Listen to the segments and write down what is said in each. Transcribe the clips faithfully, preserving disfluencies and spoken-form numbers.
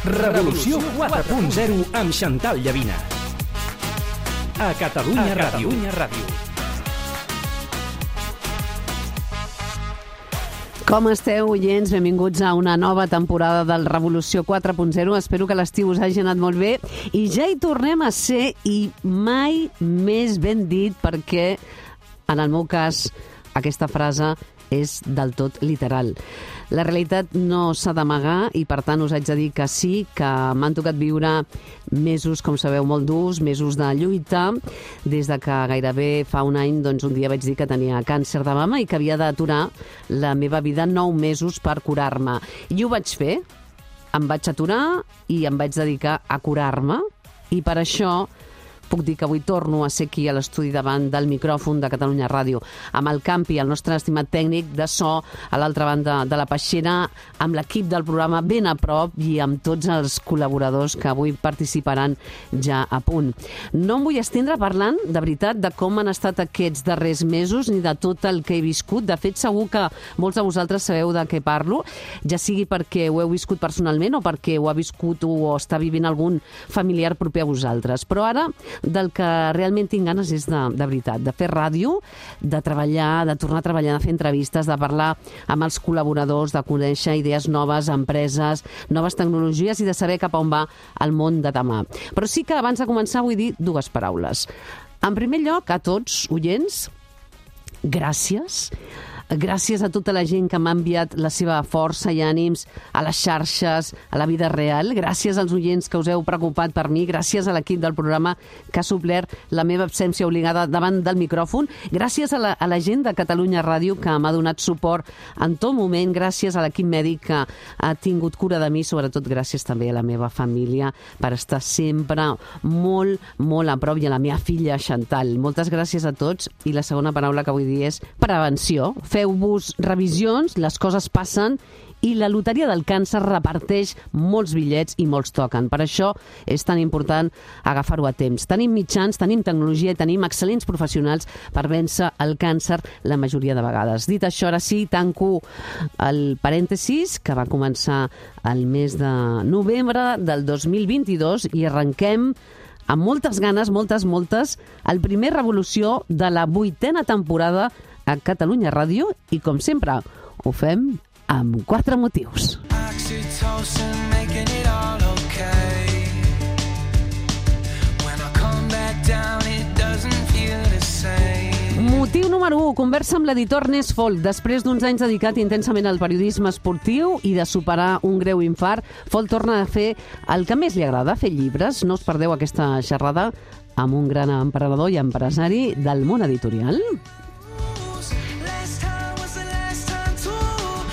Revolució quatre punt zero amb Xantal Llavina. A Catalunya Ràdio. Com esteu, oients? Benvinguts a una nova temporada del Revolució quatre punt zero. Espero que l'estiu us hagi anat molt bé. I ja hi tornem a ser, i mai més ben dit, perquè, en el meu cas, aquesta frase és del tot literal. La realitat no s'ha d'amagar i, per tant, us haig de dir que sí, que m'han tocat viure mesos, com sabeu, molt durs, mesos de lluita, des de que gairebé fa un any, doncs, un dia vaig dir que tenia càncer de mama i que havia d'aturar la meva vida nou mesos per curar-me. I ho vaig fer, em vaig aturar i em vaig dedicar a curar-me, i per això puc dir que avui torno a ser aquí a l'estudi davant del micròfon de Catalunya Ràdio, amb el Campi, el nostre estimat tècnic de so, a l'altra banda de la peixera, amb l'equip del programa ben a prop i amb tots els col·laboradors que avui participaran ja a punt. No em vull estendre parlant, de veritat, de com han estat aquests darrers mesos ni de tot el que he viscut. De fet, segur que molts de vosaltres sabeu de què parlo, ja sigui perquè ho heu viscut personalment o perquè ho ha viscut o està vivint algun familiar proper a vosaltres. Però ara, del que realment tinc ganes és de, de veritat, de fer ràdio, de treballar, de tornar a treballar, de fer entrevistes, de parlar amb els col·laboradors, de conèixer idees noves, empreses, noves tecnologies i de saber cap a on va el món de demà. Però sí que abans de començar vull dir dues paraules. En primer lloc, a tots, oients, gràcies. Gràcies a tota la gent que m'ha enviat la seva força i ànims a les xarxes, a la vida real. Gràcies als oients que us heu preocupat per mi. Gràcies a l'equip del programa que ha suplert la meva absència obligada davant del micròfon. Gràcies a la, a la gent de Catalunya Ràdio que m'ha donat suport en tot moment. Gràcies a l'equip mèdic que ha tingut cura de mi. Sobretot gràcies també a la meva família per estar sempre molt, molt a prop, i a la meva filla Xantal. Moltes gràcies a tots. I la segona paraula que vull dir és prevenció. Feu-vos revisions, les coses passen i la loteria del càncer reparteix molts bitllets i molts toquen. Per això és tan important agafar-ho a temps. Tenim mitjans, tenim tecnologia i tenim excel·lents professionals per vèncer el càncer la majoria de vegades. Dit això, ara sí, tanco el parèntesis que va començar el mes de novembre del dos mil vint-i-dos i arrenquem amb moltes ganes, moltes, moltes, el primer Revolució de la vuitena temporada a Catalunya Ràdio, i com sempre ho fem amb quatre motius. Motiu número u, conversa amb l'editor Ernest Folk. Després d'uns anys dedicat intensament al periodisme esportiu i de superar un greu infart, Folk torna a fer el que més li agrada, fer llibres. No us perdeu aquesta xerrada amb un gran emprenedor i empresari del món editorial.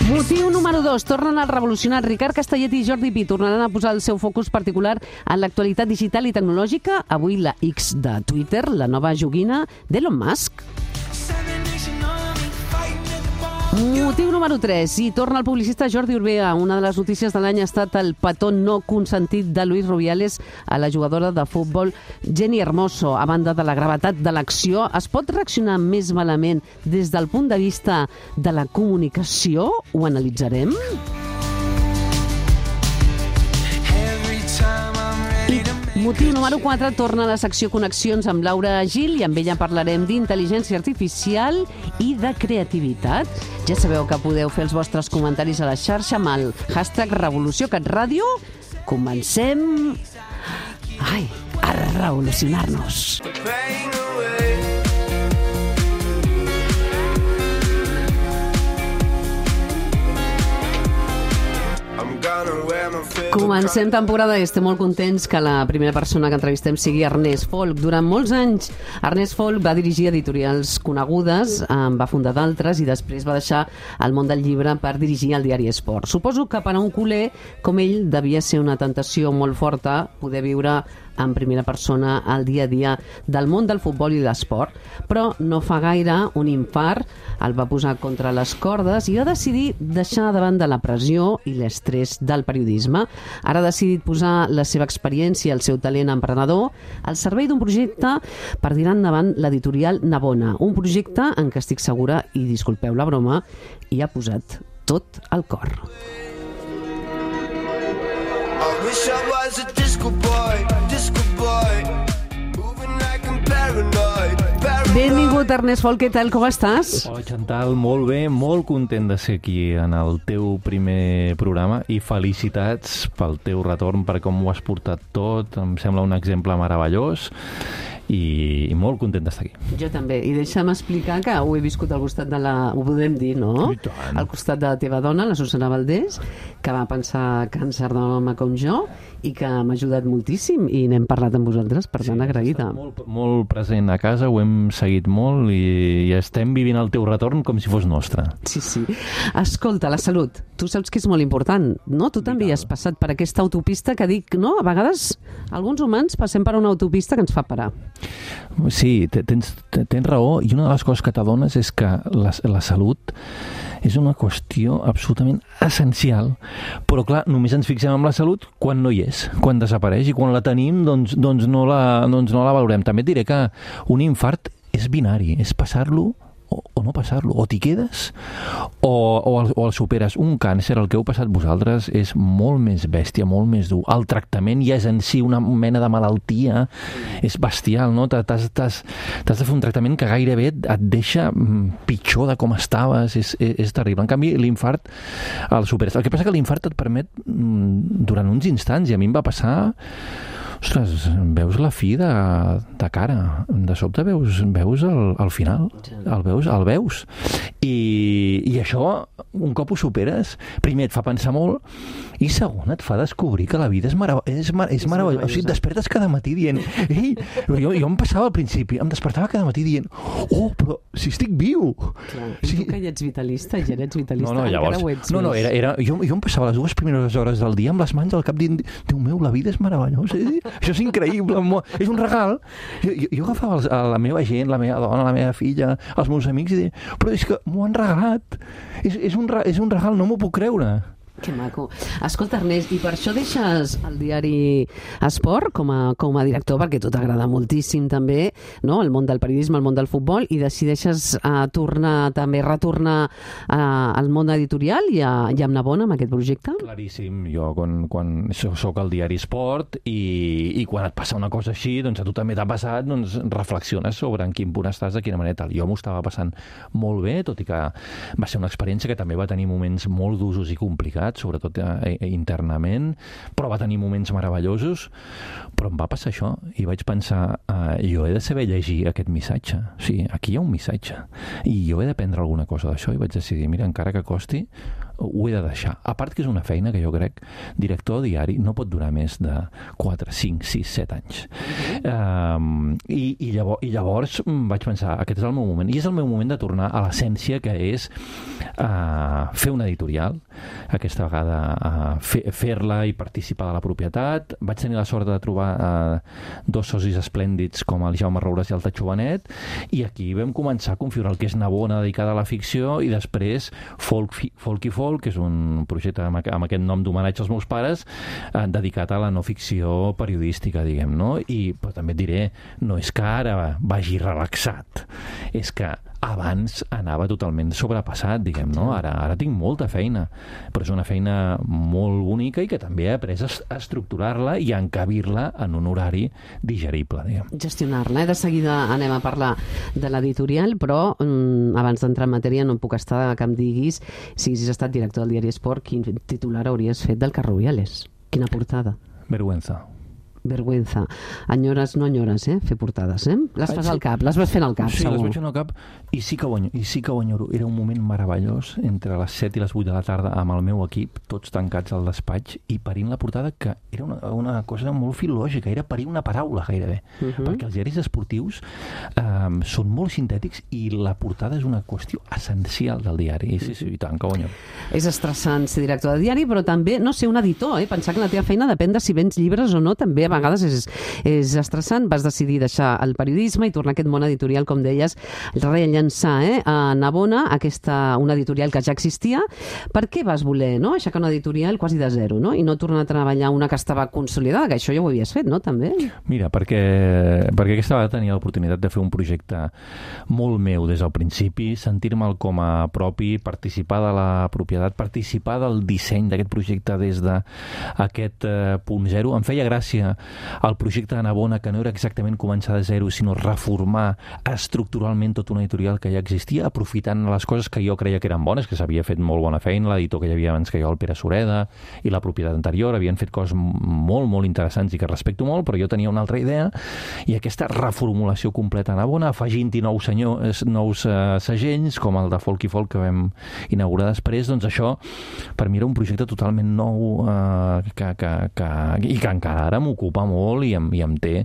Motiu número dos. Tornen a revolucionar. Ricard Castellet i Jordi Pi tornaran a posar el seu focus particular en l'actualitat digital i tecnològica. Avui la X de Twitter, la nova joguina d'Elon Musk. Motiu número tres. I torna el publicista Jordi Urbea. Una de les notícies de l'any ha estat el petó no consentit de Luis Rubiales a la jugadora de futbol Jenny Hermoso. A banda de la gravetat de l'acció, es pot reaccionar més malament des del punt de vista de la comunicació? Ho analitzarem. Motiu número quatre, torna a la secció Connexions amb Laura Gil i amb ella parlarem d'intel·ligència artificial i de creativitat. Ja sabeu que podeu fer els vostres comentaris a la xarxa amb el hashtag Revolució CatRàdio. Comencem ai, a revolucionar-nos. Comencem temporada i estem molt contents que la primera persona que entrevistem sigui Ernest Folk. Durant molts anys, Ernest Folk va dirigir editorials conegudes, en va fundar d'altres i després va deixar el món del llibre per dirigir el diari Esport. Suposo que per a un culer com ell devia ser una tentació molt forta poder viure en primera persona el dia a dia del món del futbol i l'esport, però no fa gaire un infart el va posar contra les cordes i va decidir deixar davant de la pressió i l'estrès del periodisme. Ara ha decidit posar la seva experiència i el seu talent emprenedor al servei d'un projecte per tirar endavant l'editorial Navona, un projecte en què estic segura, i disculpeu la broma, hi ha posat tot el cor. I wish I was a disco boy, disco boy, moving like I'm paranoid, paranoid. Benvingut, Ernest Folk, què tal, com estàs? Hola, Chantal, molt bé, molt content de ser aquí en el teu primer programa i felicitats pel teu retorn, per com ho has portat tot, em sembla un exemple meravellós i molt content d'estar aquí. Jo també, i deixa'm explicar que ho he viscut al costat de la... ho podem dir, no? I tant. Al costat de la teva dona, la Susana Valdés, que va pensar càncer de mama com jo i que m'ha ajudat moltíssim i n'hem parlat amb vosaltres, per tant, agraïda. Molt, molt present a casa, ho hem seguit molt i, i estem vivint el teu retorn com si fos nostre. Sí, sí. Escolta, la salut, tu saps que és molt important, no? Tu també has passat per aquesta autopista que dic, no? A vegades alguns humans passem per una autopista que ens fa parar. Sí, tens, tens raó, i una de les coses que t'adones és que la, la salut és una qüestió absolutament essencial, però clar, només ens fixem en la salut quan no hi és, quan desapareix, i quan la tenim doncs, doncs, no, la, doncs no la valorem. També et diré que un infart és binari, és passar-lo o, o no passar-lo, o t'hi quedes o, o, el, o el superes. Un càncer, el que heu passat vosaltres, és molt més bèstia, molt més dur. El tractament ja és en si una mena de malaltia, és bestial, no? T'has, t'has, t'has de fer un tractament que gairebé et deixa pitjor de com estaves, és, és, és terrible. En canvi, l'infart el superes. El que passa que l'infart et permet durant uns instants, i a mi em va passar... Ostres, veus la fi de, de cara. De sobte veus, veus el, el final. El veus, el veus. I, I això, un cop ho superes, primer et fa pensar molt i segon et fa descobrir que la vida és, marav és, mar és, és meravellosa. O sigui, et despertes cada matí dient... Ei, jo, jo em passava al principi, em despertava cada matí dient oh, però si estic viu! Clar. I sí. Tu que ja ets vitalista, ja ets vitalista, no, no, llavors, encara ho ets no, no, era, era, jo, jo em passava les dues primeres hores del dia amb les mans al cap dient Déu meu, la vida és meravellosa. Això és increïble, és un regal. Jo, jo, jo agafava els, a la meva gent, la meva dona, la meva filla, els meus amics i deia, però és que m'ho han regalat. És, és, un, és un regal, no m'ho puc creure. Que maco. Escolta, Ernest, i per això deixes el diari Esport com a, com a director, perquè a tu t'agrada moltíssim també, no? El món del periodisme, el món del futbol, i decideixes uh, tornar, també retornar uh, al món editorial i, a, i amb Navona, amb aquest projecte? Claríssim. Jo, quan, quan soc al diari Esport i, i quan et passa una cosa així, doncs a tu també t'ha passat, doncs reflexiones sobre en quin punt estàs, de quina manera tal. Jo m'ho estava passant molt bé, tot i que va ser una experiència que també va tenir moments molt d'usos i complicats, sobretot eh, internament, però va tenir moments meravellosos, però em va passar això i vaig pensar, eh, jo he de saber llegir aquest missatge, o sigui, aquí hi ha un missatge i jo he d'aprendre alguna cosa d'això, i vaig decidir, mira, encara que costi, ho he de deixar. A part que és una feina que jo crec, director diari no pot durar més de quatre, cinc, sis, set anys. Mm-hmm. um, i, i, llavors, I llavors vaig pensar, aquest és el meu moment, i és el meu moment de tornar a l'essència, que és uh, fer una editorial, aquesta vegada uh, fer-la i participar de la propietat. Vaig tenir la sort de trobar uh, dos socis esplèndids com el Jaume Roures i el Tatxo Benet, i aquí vam començar a configurar el que és Navona, dedicada a la ficció, i després Folk, Folk i Folk, que és un projecte amb aquest nom d'homenatge als meus pares, eh, dedicat a la no ficció periodística, diguem, no? I, però també et diré, no és que ara vagi relaxat, és que abans anava totalment sobrepassat, diguem, no? Ara, ara tinc molta feina, però és una feina molt bonica i que també he après a estructurar-la i a encabir-la en un horari digerible, diguem. Gestionar-la, eh? De seguida anem a parlar de l'editorial, però mm, abans d'entrar en matèria no em puc estar que em diguis, si haguessis estat director del diari Esport, quin titular hauries fet del Carrubiales? Quina portada? Vergüenza. Vergüenza. Enyores, no enyores, eh? Fer portades, eh? Les fas al cap, les vas fent al cap, sí, segur. Sí, les vaig fent al cap i sí, que ho enyoro, i sí que ho enyoro. Era un moment meravellós entre les set i les vuit de la tarda amb el meu equip, tots tancats al despatx i parint la portada, que era una, una cosa molt filològica, era parir una paraula gairebé, uh -huh. perquè els diaris esportius eh, són molt sintètics i la portada és una qüestió essencial del diari. I sí, sí, i tant, que ho enyoro. És estressant ser director de diari, però també, no ser un editor, eh? Pensar que la teva feina depèn de si vens llibres o no, també a vegades és, és estressant. Vas decidir deixar el periodisme i tornar a aquest món editorial, com deies, rellençar eh, a Navona, aquesta, una editorial que ja existia. Per què vas voler no? aixecar una editorial quasi de zero no? i no tornar a treballar una que estava consolidada, que això ja ho havies fet, no? També? Mira, perquè, perquè aquesta vegada tenia l'oportunitat de fer un projecte molt meu des del principi, sentir-me'l com a propi, participar de la propietat, participar del disseny d'aquest projecte des d'aquest eh, punt zero. Em feia gràcia el projecte de Navona, que no era exactament començar de zero, sinó reformar estructuralment tota una editorial que ja existia, aprofitant les coses que jo creia que eren bones, que s'havia fet molt bona feina, l'editor que hi havia abans que jo, el Pere Sureda, i la propietat anterior, havien fet coses molt, molt interessants i que respecto molt, però jo tenia una altra idea, i aquesta reformulació completa a Navona, afegint-hi nous, senyors, nous uh, segells, com el de Folk i Folk que vam inaugurar després, doncs això, per mi era un projecte totalment nou uh, que, que, que, i que encara ara m'ocupa molt i em, i em té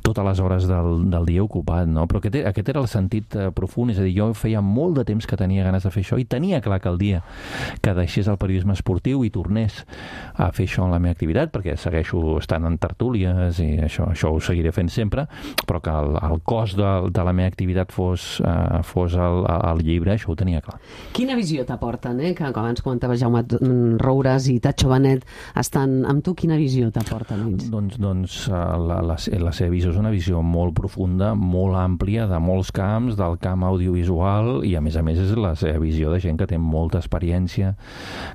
totes les hores del, del dia ocupat, no? Però aquest, aquest era el sentit uh, profund, és a dir, jo feia molt de temps que tenia ganes de fer això i tenia clar que el dia que deixés el periodisme esportiu i tornés a fer això en la meva activitat, perquè segueixo estant en tertúlies i això, això ho seguiré fent sempre, però que el, el cos de, de la meva activitat fos, uh, fos el, el llibre, això ho tenia clar. Quina visió t'aporten, eh? Que abans comentava Jaume Roures i Tatxo Benet estan amb tu, quina visió t'aporten ells? Doncs, doncs la, la, la seva visió és una visió molt profunda, molt àmplia, de molts camps, del camp audiovisual, i a més a més és la seva visió de gent que té molta experiència,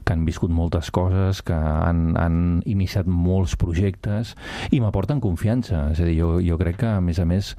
que han viscut moltes coses, que han, han iniciat molts projectes i m'aporten confiança. És a dir, jo, jo crec que, a més a més,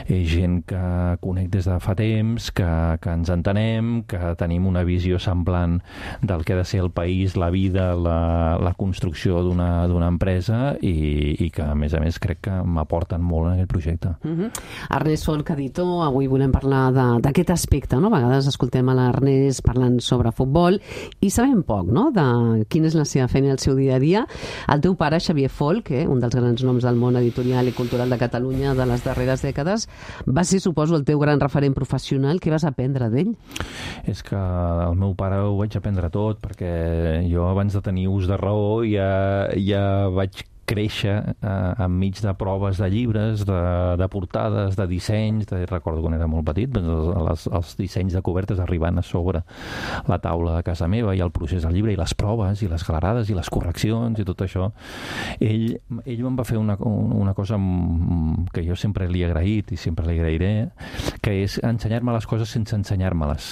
és gent que conec des de fa temps, que, que ens entenem, que tenim una visió semblant del que ha de ser el país, la vida, la, la construcció d'una d'una empresa i, i que, a més a més, crec que m'aporten molt en aquest projecte. Uh-huh. Ernest Folk, editor, avui volem parlar d'aquest aspecte, no? A vegades escoltem a l'Ernest parlant sobre futbol i sabem poc, no?, de quina és la seva feina i el seu dia a dia. El teu pare, Xavier Folk, eh, un dels grans noms del món editorial i cultural de Catalunya de les darreres dècades, va ser, suposo, el teu gran referent professional. Què vas aprendre d'ell? És que el meu pare ho vaig aprendre tot, perquè jo abans de tenir ús de raó ja, ja vaig créixer eh, enmig de proves de llibres, de, de portades, de dissenys. De, recordo quan era molt petit, doncs els, els dissenys de cobertes arribant a sobre la taula de casa meva i el procés del llibre i les proves i les galerades i les correccions i tot això. Ell, ell em va fer una, una cosa que jo sempre li he agraït i sempre li agrairé, que és ensenyar-me les coses sense ensenyar-me-les.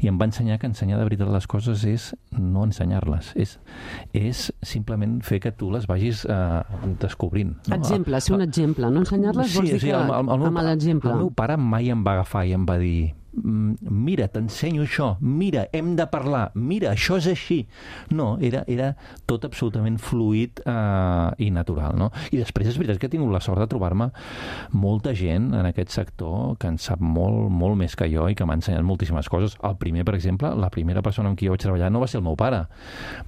I em va ensenyar que ensenyar de veritat les coses és no ensenyar-les. És, és simplement fer que tu les vagis eh, descobrint. No? Exemple, ser un exemple. No ensenyar-les vols sí, dir sí, que el, el, el meu, amb l'exemple. El meu pare mai em va agafar i em va dir mira, t'ensenyo això, mira, hem de parlar, mira, això és així. No, era, era tot absolutament fluid eh, i natural, no? I després és veritat que he tingut la sort de trobar-me molta gent en aquest sector que en sap molt, molt més que jo i que m'ha ensenyat moltíssimes coses. El primer, per exemple, la primera persona amb qui jo vaig treballar no va ser el meu pare,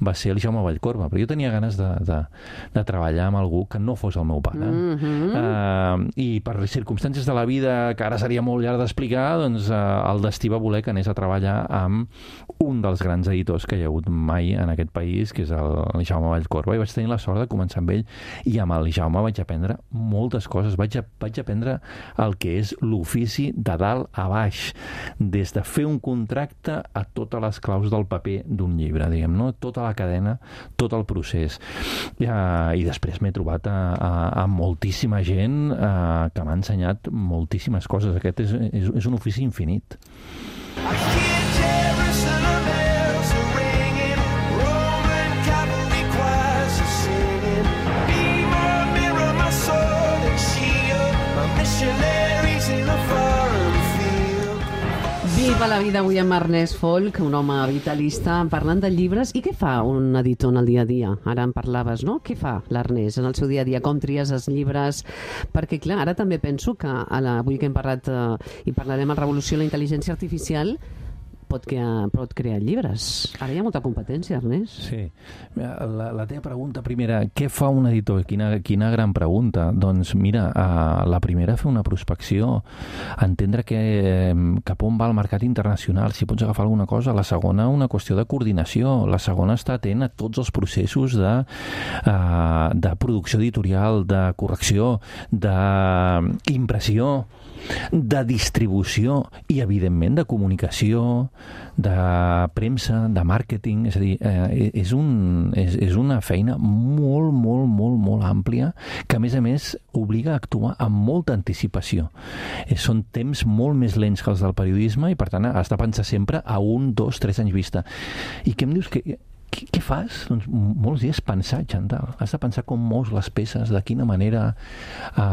va ser el Jaume Vallcorba, però jo tenia ganes de, de, de treballar amb algú que no fos el meu pare. Mm-hmm. eh, I per circumstàncies de la vida que ara seria molt llarg d'explicar, doncs eh, el destí va voler que anés a treballar amb un dels grans editors que hi ha hagut mai en aquest país, que és el Jaume Vallcorba, i vaig tenir la sort de començar amb ell, i amb el Jaume vaig aprendre moltes coses. Vaig, a, vaig aprendre el que és l'ofici de dalt a baix, des de fer un contracte a totes les claus del paper d'un llibre, diguem, no? Tota la cadena, tot el procés. I, uh, i després m'he trobat a, a, a moltíssima gent uh, que m'ha ensenyat moltíssimes coses. Aquest és, és, és un ofici infinit. I hear Jerusalem bells are ringing, Roman cavalry choirs are singing. Be my mirror, my sword and shield, my missionaries in a foreign field. Viva la vida avui amb Ernest Folk, un home vitalista, parlant de llibres. I què fa un editor en el dia a dia? Ara en parlaves, no? Què fa l'Ernest en el seu dia a dia? Com tries els llibres? Perquè, clar, ara també penso que, a la, avui que hem parlat eh, i parlarem en Revolució de la Intel·ligència Artificial, pot crear, pot crear llibres. Ara hi ha molta competència, Ernest. Sí. La, la teva pregunta primera, què fa un editor? Quina, quina gran pregunta. Doncs mira, uh, la primera, fer una prospecció, entendre que, cap on va el mercat internacional, si pots agafar alguna cosa. La segona, una qüestió de coordinació. La segona, estar atent a tots els processos de, uh, de producció editorial, de correcció, d'impressió, de distribució i, evidentment, de comunicació, de premsa, de màrqueting. És a dir, eh, és, un, és, és una feina molt, molt, molt, molt àmplia que, a més a més, obliga a actuar amb molta anticipació. Eh, són temps molt més lents que els del periodisme i, per tant, has de pensar sempre a un, dos, tres anys vista. I què em dius que... Què, què fas? Doncs molts dies pensar, Chantal. Has de pensar com mous les peces, de quina manera, eh,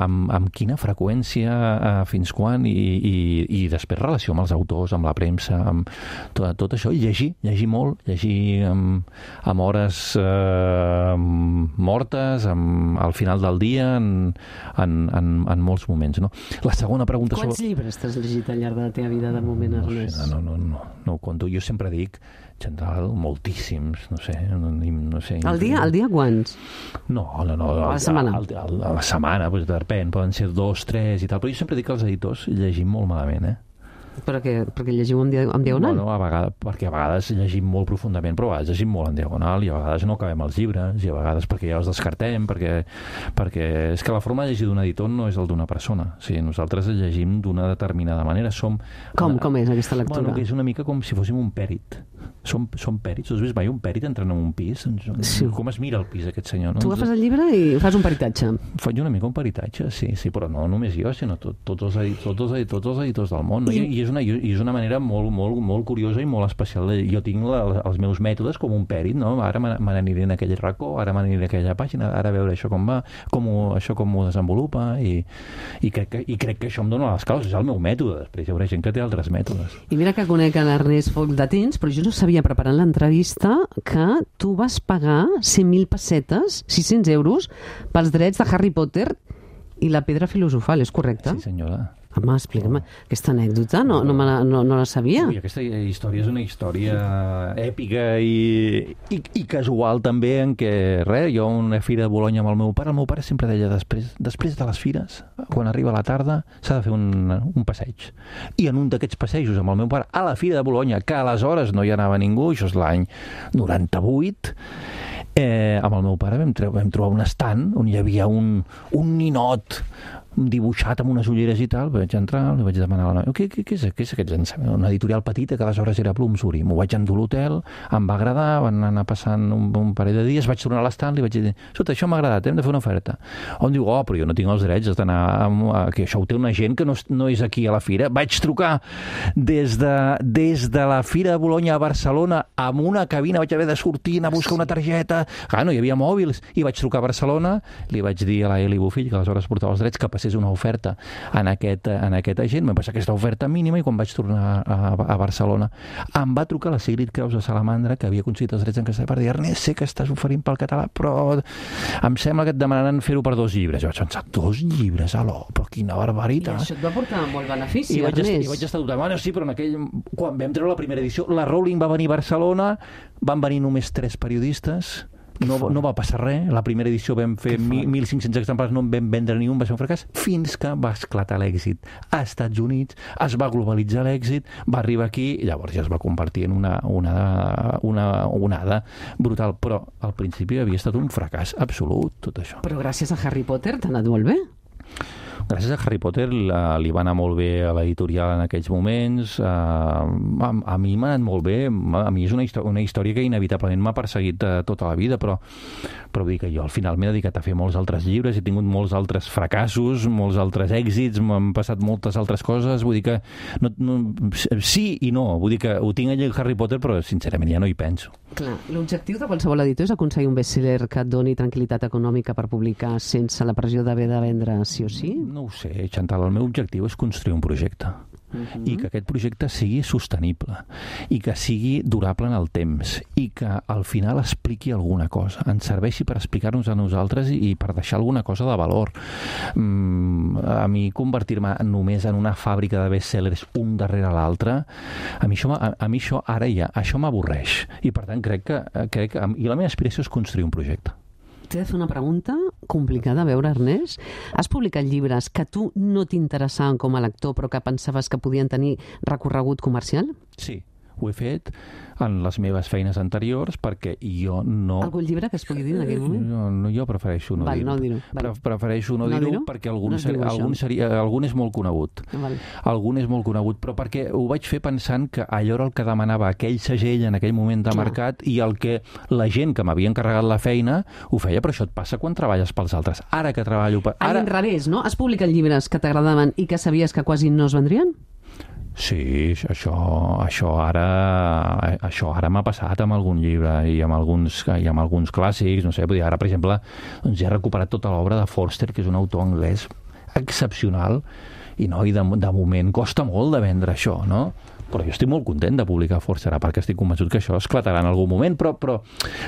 amb, amb quina freqüència, eh, fins quan, i, i, i després relació amb els autors, amb la premsa, amb tot, tot això, i llegir, llegir molt, llegir amb, amb hores eh, mortes, amb, al final del dia, en, en, en, en molts moments. No? La segona pregunta... Quants sobre... llibres t'has llegit al llarg de la teva vida, de moment, Ernest? No, no, no, no, no ho conto. Jo sempre dic, Chantal, moltíssims, no sé, no, no sé. Al dia, al dia quants? No, no, no. A la setmana? A, a, a la setmana, doncs, depèn, poden ser dos, tres i tal, però jo sempre dic que els editors llegim molt malament, eh? Però què? Perquè llegiu en, dia, en diagonal? Bueno, a vegades, perquè a vegades llegim molt profundament, però a vegades llegim molt en diagonal i a vegades no acabem els llibres, i a vegades perquè ja els descartem, perquè, perquè és que la forma de llegir d'un editor no és el d'una persona. O sigui, nosaltres llegim d'una determinada manera. Som, com, com és aquesta lectura? Bueno, que és una mica com si fóssim un pèrit. Som, som pèrits. Has vist mai un pèrit entrant en un pis? Sí. Com es mira el pis, aquest senyor? No? Tu agafes el llibre i fas un peritatge. Faig una mica un peritatge, sí, sí, però no només jo, sinó tot, tots, els editors, tots, els editors, tots els editors del món. No? I, i, és una, i és una manera molt, molt, molt curiosa i molt especial. Jo tinc la, els meus mètodes com un pèrit, no? Ara me n'aniré en aquell racó, ara me n'aniré a aquella pàgina, ara a veure això com va, com ho, això com ho desenvolupa, i, i, crec que, i crec que això em dona les causes, és el meu mètode. Després hi haurà gent que té altres mètodes. I mira que conec l'Ernest Foc de temps, però jo no sabia, preparant l'entrevista, que tu vas pagar cent mil pessetes, sis-cents euros, pels drets de Harry Potter i la pedra filosofal, és correcte? Sí, senyora. Home, explica'm, aquesta anècdota no, no, me la, no, no la sabia. Ui, aquesta història és una història èpica i, i, i casual també, en què, res, jo a una fira de Bolonya amb el meu pare, el meu pare sempre deia, després, després de les fires, quan arriba la tarda, s'ha de fer un, un passeig. I en un d'aquests passejos amb el meu pare, a la fira de Bolonya, que aleshores no hi anava ningú, això és l'any noranta-vuit, eh, amb el meu pare vam, vam trobar un estant on hi havia un, un ninot dibuixat amb unes ulleres i tal. Vaig entrar, li vaig demanar a la noia, què, què, què, és, què és aquest llançament? Una editorial petita que aleshores era Bloomsbury. M'ho vaig endur a l'hotel, em va agradar, van anar passant un, un parell de dies, vaig tornar a l'estand, li vaig dir, escolta, això m'ha agradat, hem de fer una oferta. On diu, oh, però jo no tinc els drets d'anar, que això ho té una gent que no, no és aquí a la fira. Vaig trucar des de, des de la Fira de Bolonya a Barcelona amb una cabina, vaig haver de sortir, anar a buscar una targeta, clar, no hi havia mòbils, i vaig trucar a Barcelona, li vaig dir a la Eli Bofill, que aleshores portava els drets, que és una oferta en aquest, en aquest agent, vam passar aquesta oferta mínima, i quan vaig tornar a, a Barcelona em va trucar la Sigrid Creus de Salamandra, que havia aconseguit els drets en castellà, per dir, Ernest, sé que estàs oferint pel català, però em sembla que et demanaran fer-ho per dos llibres. Jo vaig pensar, dos llibres, alò, però quina barbaritat. I això et va portar molt benefici, I vaig, Ernest. I vaig estar dubtant, bueno, sí, però en aquell, quan vam treure la primera edició, la Rowling va venir a Barcelona, van venir només tres periodistes, No, no va passar res. La primera edició vam fer mil cinc-cents exemplars, no en vam vendre ni un, va ser un fracàs, fins que va esclatar l'èxit a Estats Units, es va globalitzar l'èxit, va arribar aquí, i llavors ja es va convertir en una onada, una onada brutal. Però al principi havia estat un fracàs absolut, tot això. Però gràcies a Harry Potter t'ha anat molt bé. Gràcies a Harry Potter la, li va anar molt bé a l'editorial en aquells moments. Uh, a, a mi m'ha anat molt bé. A mi és una, histò una història que inevitablement m'ha perseguit uh, tota la vida, però, però vull dir que jo al final m'he dedicat a fer molts altres llibres, he tingut molts altres fracassos, molts altres èxits, m'han passat moltes altres coses. Vull dir que no, no, sí i no. Vull dir que ho tinc allà a Harry Potter, però sincerament ja no hi penso. Clar, l'objectiu de qualsevol editor és aconseguir un best-seller que et doni tranquil·litat econòmica per publicar sense la pressió d'haver de vendre sí o sí? No ho sé, Chantal, el meu objectiu és construir un projecte. uh-huh. i que aquest projecte sigui sostenible i que sigui durable en el temps i que al final expliqui alguna cosa, ens serveixi per explicar-nos a nosaltres i, i per deixar alguna cosa de valor. Mm, a mi convertir-me només en una fàbrica de best-sellers un darrere l'altre, a mi això, a, a mi això ara ja, això m'avorreix i per tant crec que, crec que i la meva aspiració és construir un projecte. T'he de fer una pregunta complicada, a veure, Ernest. Has publicat llibres que tu no t'interessaven com a lector però que pensaves que podien tenir recorregut comercial? Sí, ho he fet en les meves feines anteriors perquè jo no... Algun llibre que es pugui dir en aquell moment? No, no, jo prefereixo no Val, dir-ho. No dir-ho. Pre prefereixo no, no dir-ho dir perquè algun, no ser, algun, seria, algun és molt conegut. Val. Algun és molt conegut, però perquè ho vaig fer pensant que allò era el que demanava aquell segell en aquell moment de Clar. mercat i el que la gent que m'havia encarregat la feina ho feia, però això et passa quan treballes pels altres. Ara que treballo... Per... Ara... A l'inrevés, no? Has publicat llibres que t'agradaven i que sabies que quasi no es vendrien? Sí, això, això ara això ara m'ha passat amb algun llibre i amb alguns, i amb alguns clàssics, no sé, ara, per exemple, doncs ja he recuperat tota l'obra de Forster, que és un autor anglès excepcional, i, no, i de, de moment costa molt de vendre això, no? Però jo estic molt content de publicar Forster, perquè estic convençut que això esclatarà en algun moment, però, però,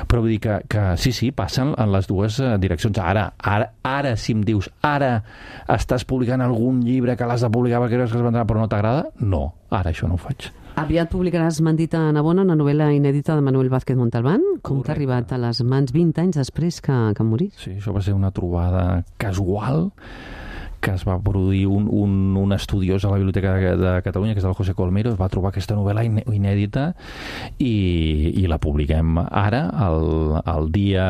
però vull dir que, que sí, sí, passen en les dues direccions. Ara, ara, ara, si em dius, ara estàs publicant algun llibre que l'has de publicar perquè creus que es vendrà però no t'agrada, no, ara això no ho faig. Aviat publicaràs Mendita Navona, una novel·la inèdita de Manuel Vázquez Montalbán. Com t'ha arribat a les mans vint anys després que, que morís? Sí, això va ser una trobada casual que es va produir un, un, un estudiós a la Biblioteca de, de Catalunya, que és el José Colmero, es va trobar aquesta novel·la inèdita i, i la publiquem ara, el, el dia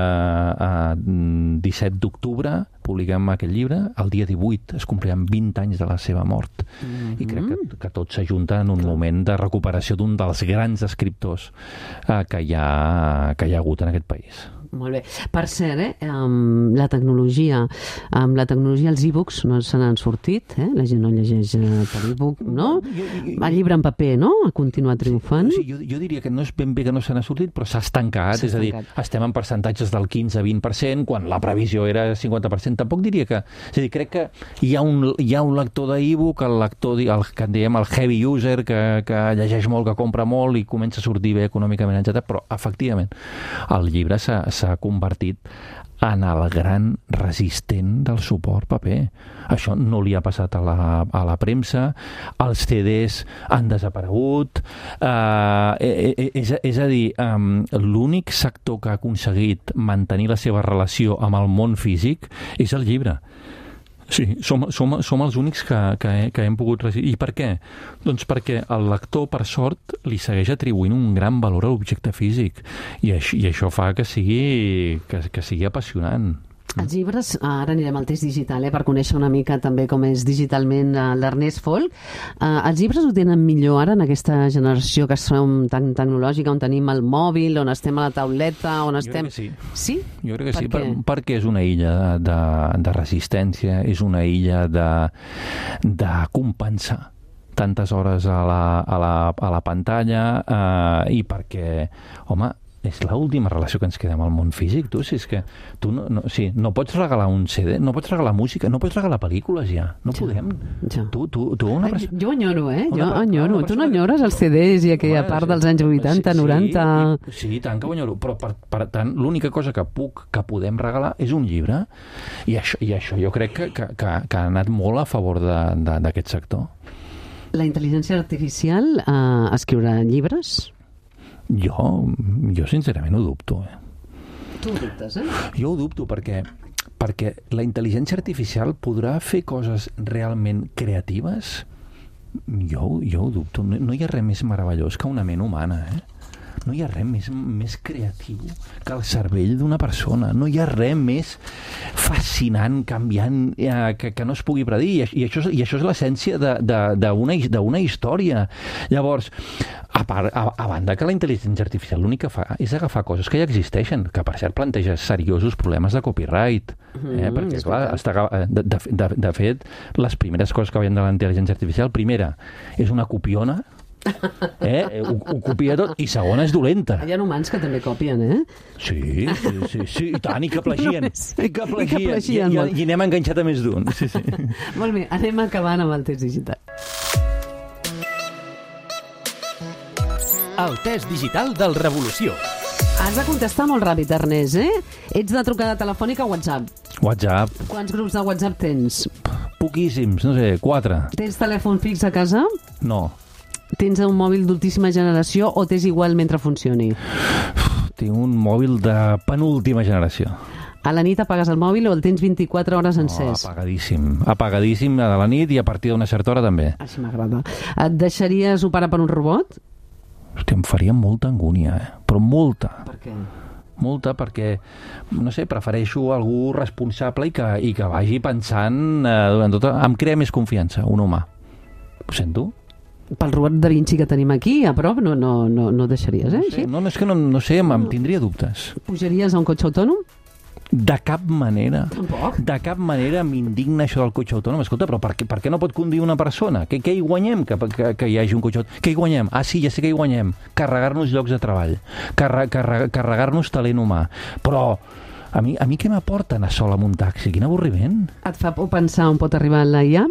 eh, disset d'octubre, publiquem aquest llibre, el dia divuit es compliran vint anys de la seva mort. Mm-hmm. I crec que, que tot s'ajunta en un moment de recuperació d'un dels grans escriptors eh, que, hi ha, que hi ha hagut en aquest país. Molt bé. Per cert, eh, amb la tecnologia, amb la tecnologia els e-books no se n'han sortit, eh? La gent no llegeix per e-book, no? El llibre en paper, no? Ha continuat triomfant. Sí, jo, jo diria que no és ben bé que no se n'ha sortit, però s'ha estancat, és a dir, estem en percentatges del quinze a vint per cent, quan la previsió era cinquanta per cent. Tampoc diria que... És a dir, crec que hi ha un, hi ha un lector d'e-book, el lector, el que en diem el heavy user, que, que llegeix molt, que compra molt i comença a sortir bé econòmicament, etcètera. Però, efectivament, el llibre s'ha s'ha convertit en el gran resistent del suport paper. Això no li ha passat a la, a la premsa, els C Ds han desaparegut, eh, és, és a dir, eh, l'únic sector que ha aconseguit mantenir la seva relació amb el món físic és el llibre. Sí, som, som, som els únics que, que, que hem pogut resistir. I per què? Doncs perquè el lector, per sort, li segueix atribuint un gran valor a l'objecte físic. I això, i això fa que sigui, que, que sigui apassionant. Els llibres, ara anirem al test digital, eh, per conèixer una mica també com és digitalment uh, l'Ernest Folk. Uh, els llibres ho tenen millor ara en aquesta generació que som tan tecnològica, on tenim el mòbil, on estem a la tauleta, on estem... Jo crec que sí. Sí? Jo crec que per sí, per, perquè és una illa de, de, de resistència, és una illa de, de compensar tantes hores a la, a la, a la pantalla eh, i perquè, home, és l'última relació que ens queda amb el món físic, tu, si és que tu no, no, sí, no pots regalar un C D, no pots regalar música, no pots regalar pel·lícules ja, no ja, podem. Ja. Tu, tu, tu una Ai, jo enyoro, eh? Jo una, enyoro. Tu no enyores els C Ds i aquella home, part dels anys vuitanta, sí, noranta... Sí, sí, tant que ho enyoro, però per, per tant l'única cosa que puc, que podem regalar és un llibre, i això, i això jo crec que, que, que, que ha anat molt a favor d'aquest sector. La intel·ligència artificial eh, escriurà llibres? Jo, jo sincerament ho dubto. Eh? Tu ho dubtes, eh? Jo ho dubto perquè, perquè la intel·ligència artificial podrà fer coses realment creatives? Jo, jo ho dubto. No, no hi ha res més meravellós que una ment humana, eh? No hi ha res més, més creatiu que el cervell d'una persona. No hi ha res més fascinant, canviant, eh, que, que no es pugui predir. I, i, això, i això és l'essència d'una història. Llavors, a, part, a, a banda que la intel·ligència artificial l'únic que fa és agafar coses que ja existeixen, que per cert planteja seriosos problemes de copyright. Eh? Mm, perquè, clar, està, de, de, de fet, les primeres coses que veiem de la intel·ligència artificial, primera, és una copiona, eh? ho, ho copia tot, i segona és dolenta. Hi ha humans que també copien, eh? Sí, sí, sí, sí. I tant, i que plagien. I que plagien. I, que plagien I, i, i anem enganxat a més d'un. Sí, sí. Molt bé, anem acabant amb el test digital. el test digital del Revolució. Has de contestar molt ràpid, Ernest, eh? Ets de trucada telefònica o WhatsApp? WhatsApp, Quants grups de WhatsApp tens? poquíssims, no sé, quatre. Tens telèfon fix a casa? No, Tens un mòbil d'ultíssima generació o t'és igual mentre funcioni? tinc un mòbil de penúltima generació. A la nit apagues el mòbil o el tens vint-i-quatre hores No, encès? apagadíssim. Apagadíssim a la nit i a partir d'una certa hora també. Així m'agrada. Et deixaries operar per un robot? Hòstia, em faria molta angúnia, eh? Però molta. Per què? Molta perquè, no sé, prefereixo algú responsable i que, i que vagi pensant eh, durant tota... Em crea més confiança, un humà. Ho sento? Pel robot da Vinci que tenim aquí, a prop, no, no, no, no deixaries, eh? Sí, Així? no, no, és que no, no sé, em, em tindria dubtes. Pujaries a un cotxe autònom? De cap manera. Tampoc. De cap manera m'indigna això del cotxe autònom. Escolta, però per què, per què no pot conduir una persona? Què, què hi guanyem que, que, que hi hagi un cotxe autònom? Què hi guanyem? Ah, sí, ja sé què hi guanyem. Carregar-nos llocs de treball. Carre, carre, carregar-nos talent humà. Però a mi, a mi què m'aporta anar sol amb un taxi? Quin avorriment. Et fa por pensar on pot arribar la I A?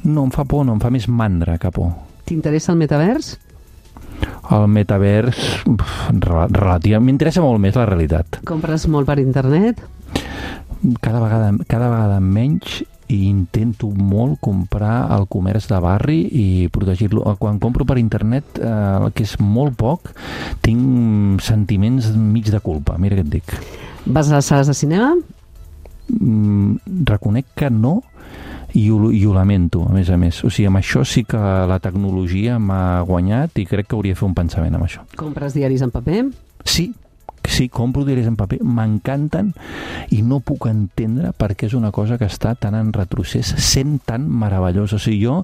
No, em fa por, no, em fa més mandra que por. T'interessa el metavers? El metavers, relativament, m'interessa molt més la realitat. Compres molt per internet? Cada vegada, cada vegada menys i intento molt comprar el comerç de barri i protegir-lo. Quan compro per internet, eh, que és molt poc, tinc sentiments mig de culpa, mira què et dic. Vas a les sales de cinema? Mm, reconec que no, i ho, i ho lamento, a més a més. O sigui, amb això sí que la tecnologia m'ha guanyat i crec que hauria de fer un pensament amb això. Compres diaris en paper? Sí, sí, compro diaris en paper, m'encanten i no puc entendre per què és una cosa que està tan en retrocés, sent tan meravellós. O sigui, jo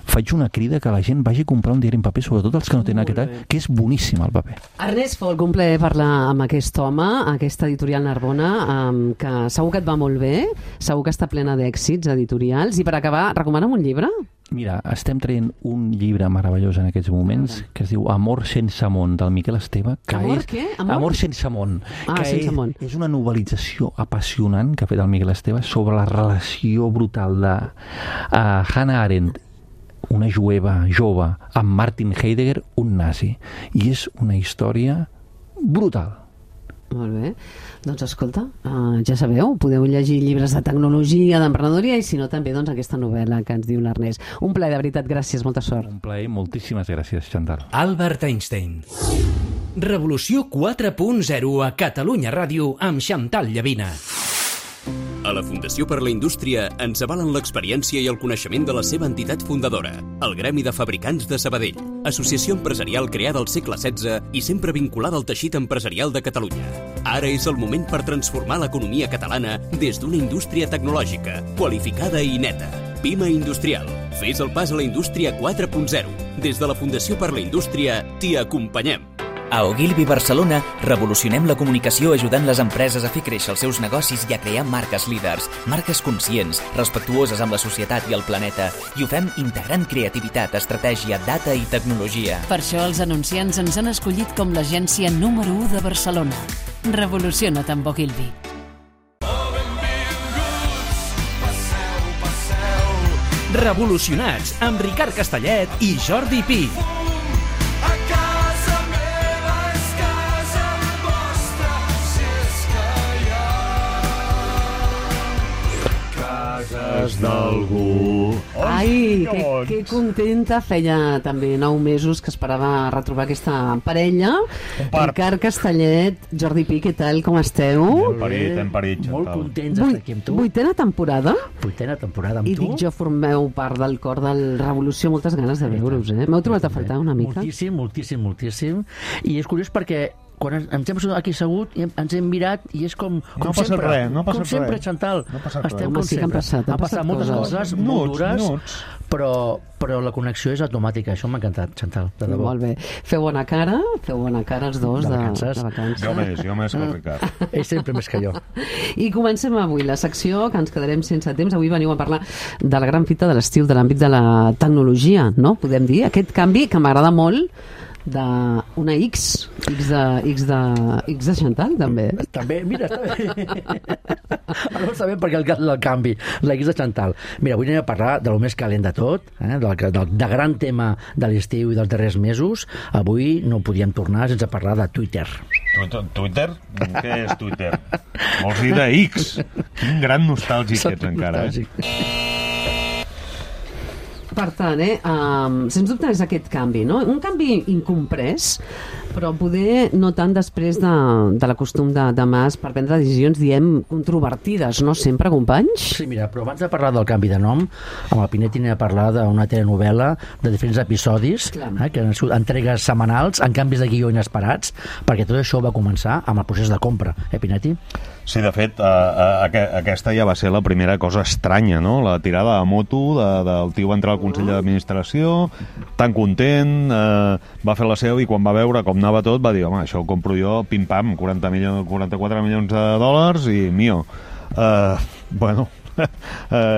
faig una crida que la gent vagi a comprar un diari en paper, sobretot els que no tenen aquest, que és boníssim el paper. Ernest Folk, un plaer parlar amb aquest home, aquesta editorial Narbona, um, que segur que et va molt bé, segur que està plena d'èxits editorials. I per acabar, recomana'm un llibre? Mira, estem traient un llibre meravellós en aquests moments que es diu Amor sense món, del Miquel Esteve. Que Amor és... què? Amor? Amor sense món. Ah, que sense és, món. és una novel·lització apassionant que ha fet el Miquel Esteve sobre la relació brutal de uh, Hannah Arendt, una jueva jove, amb Martin Heidegger, un nazi. I és una història brutal. Molt bé. Doncs escolta, uh, ja sabeu, podeu llegir llibres de tecnologia, d'emprenedoria i si no també doncs aquesta novel·la que ens diu l'Ernest. Un plaer, de veritat, gràcies, molta sort. Un plaer, moltíssimes gràcies, Chantal. Albert Einstein. Revolució quatre punt zero a Catalunya Ràdio amb Chantal Llavina. A la Fundació per la Indústria ens avalen l'experiència i el coneixement de la seva entitat fundadora, el Gremi de Fabricants de Sabadell, associació empresarial creada al segle setze i sempre vinculada al teixit empresarial de Catalunya. Ara és el moment per transformar l'economia catalana des d'una indústria tecnològica, qualificada i neta. Pima Industrial. Fes el pas a la indústria quatre punt zero. Des de la Fundació per la Indústria t'hi acompanyem. A Ogilvy Barcelona revolucionem la comunicació ajudant les empreses a fer créixer els seus negocis i a crear marques líders, marques conscients, respectuoses amb la societat i el planeta, i ho fem integrant creativitat, estratègia, data i tecnologia. Per això els anunciants ens han escollit com l'agència número u de Barcelona. Revoluciona't amb Ogilvy. Revolucionats amb Ricard Castellet i Jordi Pi. d'algú. Ai, que, que contenta. Feia també nou mesos que esperava retrobar aquesta parella. Ricard Castellet, Jordi Pi, què tal, com esteu? Hem parit, hem parit, Molt Chantal. contents d'estar aquí amb tu. Vuitena temporada? Vuitena temporada amb I tu. dic jo, formeu part del cor del Revolució, moltes ganes de veure-us, eh? M'heu trobat a faltar una mica? Moltíssim, moltíssim, moltíssim. I és curiós perquè quan ens ens hem aquí assegut i hem- ens hem mirat i és com, com No ha passat sempre. res, no ha passat com sempre, res. Chantal. No ha passat Estem res. Home, com sí que han sempre. passat, han han passat passat moltes coses. coses, molt Minuts, dures, minuts. però, però la connexió és automàtica. Això m'ha encantat, Chantal, de debò. Molt bé. Feu bona cara, feu bona cara els dos De de, vacances. de vacances. Jo més, jo més que el Ricard. Ell sempre més que jo. I comencem avui la secció que ens quedarem sense temps. Avui veniu a parlar de la gran fita de l'estiu, de l'àmbit de la tecnologia, no? Podem dir, aquest canvi que m'agrada molt d'una X, X de, X de, X de Chantal, també. També, mira, està bé. Ara ho sabem perquè el, el canvi, la X de Chantal. Mira, avui anem a parlar de lo més calent de tot, eh? del, del, de gran tema de l'estiu i dels darrers mesos. Avui no podíem tornar sense parlar de Twitter. Twitter? Què és Twitter? Vols dir de X? Quin gran nostàlgic ets encara, eh? Per tant, eh, um, sens dubte és aquest canvi, no? Un canvi incomprès, però poder no tant després de, de l'acostum de, de Mas per prendre decisions, diem, controvertides, no sempre, companys? Sí, mira, però abans de parlar del canvi de nom, amb el Pinetti anem a parlar d'una telenovel·la de diferents episodis, eh, que han sigut entregues setmanals, en canvis de guió inesperats, perquè tot això va començar amb el procés de compra, eh, Pinetti? Sí, de fet, uh, uh, aquesta ja va ser la primera cosa estranya, no? La tirada a moto de, del tio va entrar al Consell d'Administració, tan content, uh, va fer la seu i quan va veure com anava tot va dir, home, això ho compro jo, pim-pam, quaranta milions, quaranta-quatre milions de dòlars i mio. Uh, bueno, uh,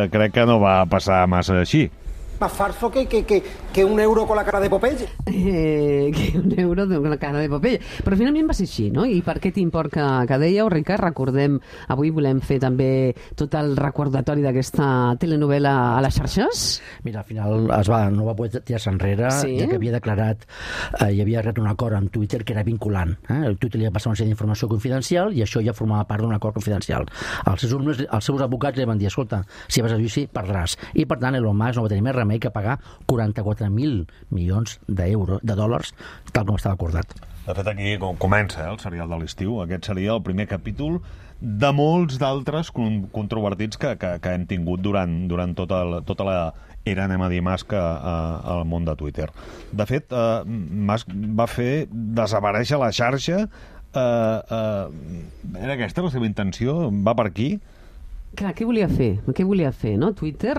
crec que no va passar massa així. Más falso que, que, que, que un euro con la cara de Popeye. Eh, que un euro con la cara de Popeye. Però finalment va ser així, no? I per aquest import que, que dèieu, Ricard, recordem, avui volem fer també tot el recordatori d'aquesta telenovel·la a les xarxes? Mira, al final es va, no va poder tirar-se enrere, sí? Ja que havia declarat, eh, hi havia arribat un acord amb Twitter que era vinculant. Eh? El Twitter li va passar una sèrie d'informació confidencial i això ja formava part d'un acord confidencial. Els seus, els seus advocats li van dir, escolta, si vas a judici, perdràs. I per tant, Elon Musk no va tenir més remei que pagar quaranta-quatre mil milions d'euros, de dòlars, tal com estava acordat. De fet, aquí comença eh, el serial de l'estiu. Aquest seria el primer capítol de molts d'altres controvertits que, que, que hem tingut durant, durant tota, la, tota la era, anem a dir, Musk al món de Twitter. De fet, eh, Musk va fer desaparèixer la xarxa. Eh, eh, era aquesta la seva intenció? Va per aquí? Clar, què volia fer? Què volia fer, no? Twitter,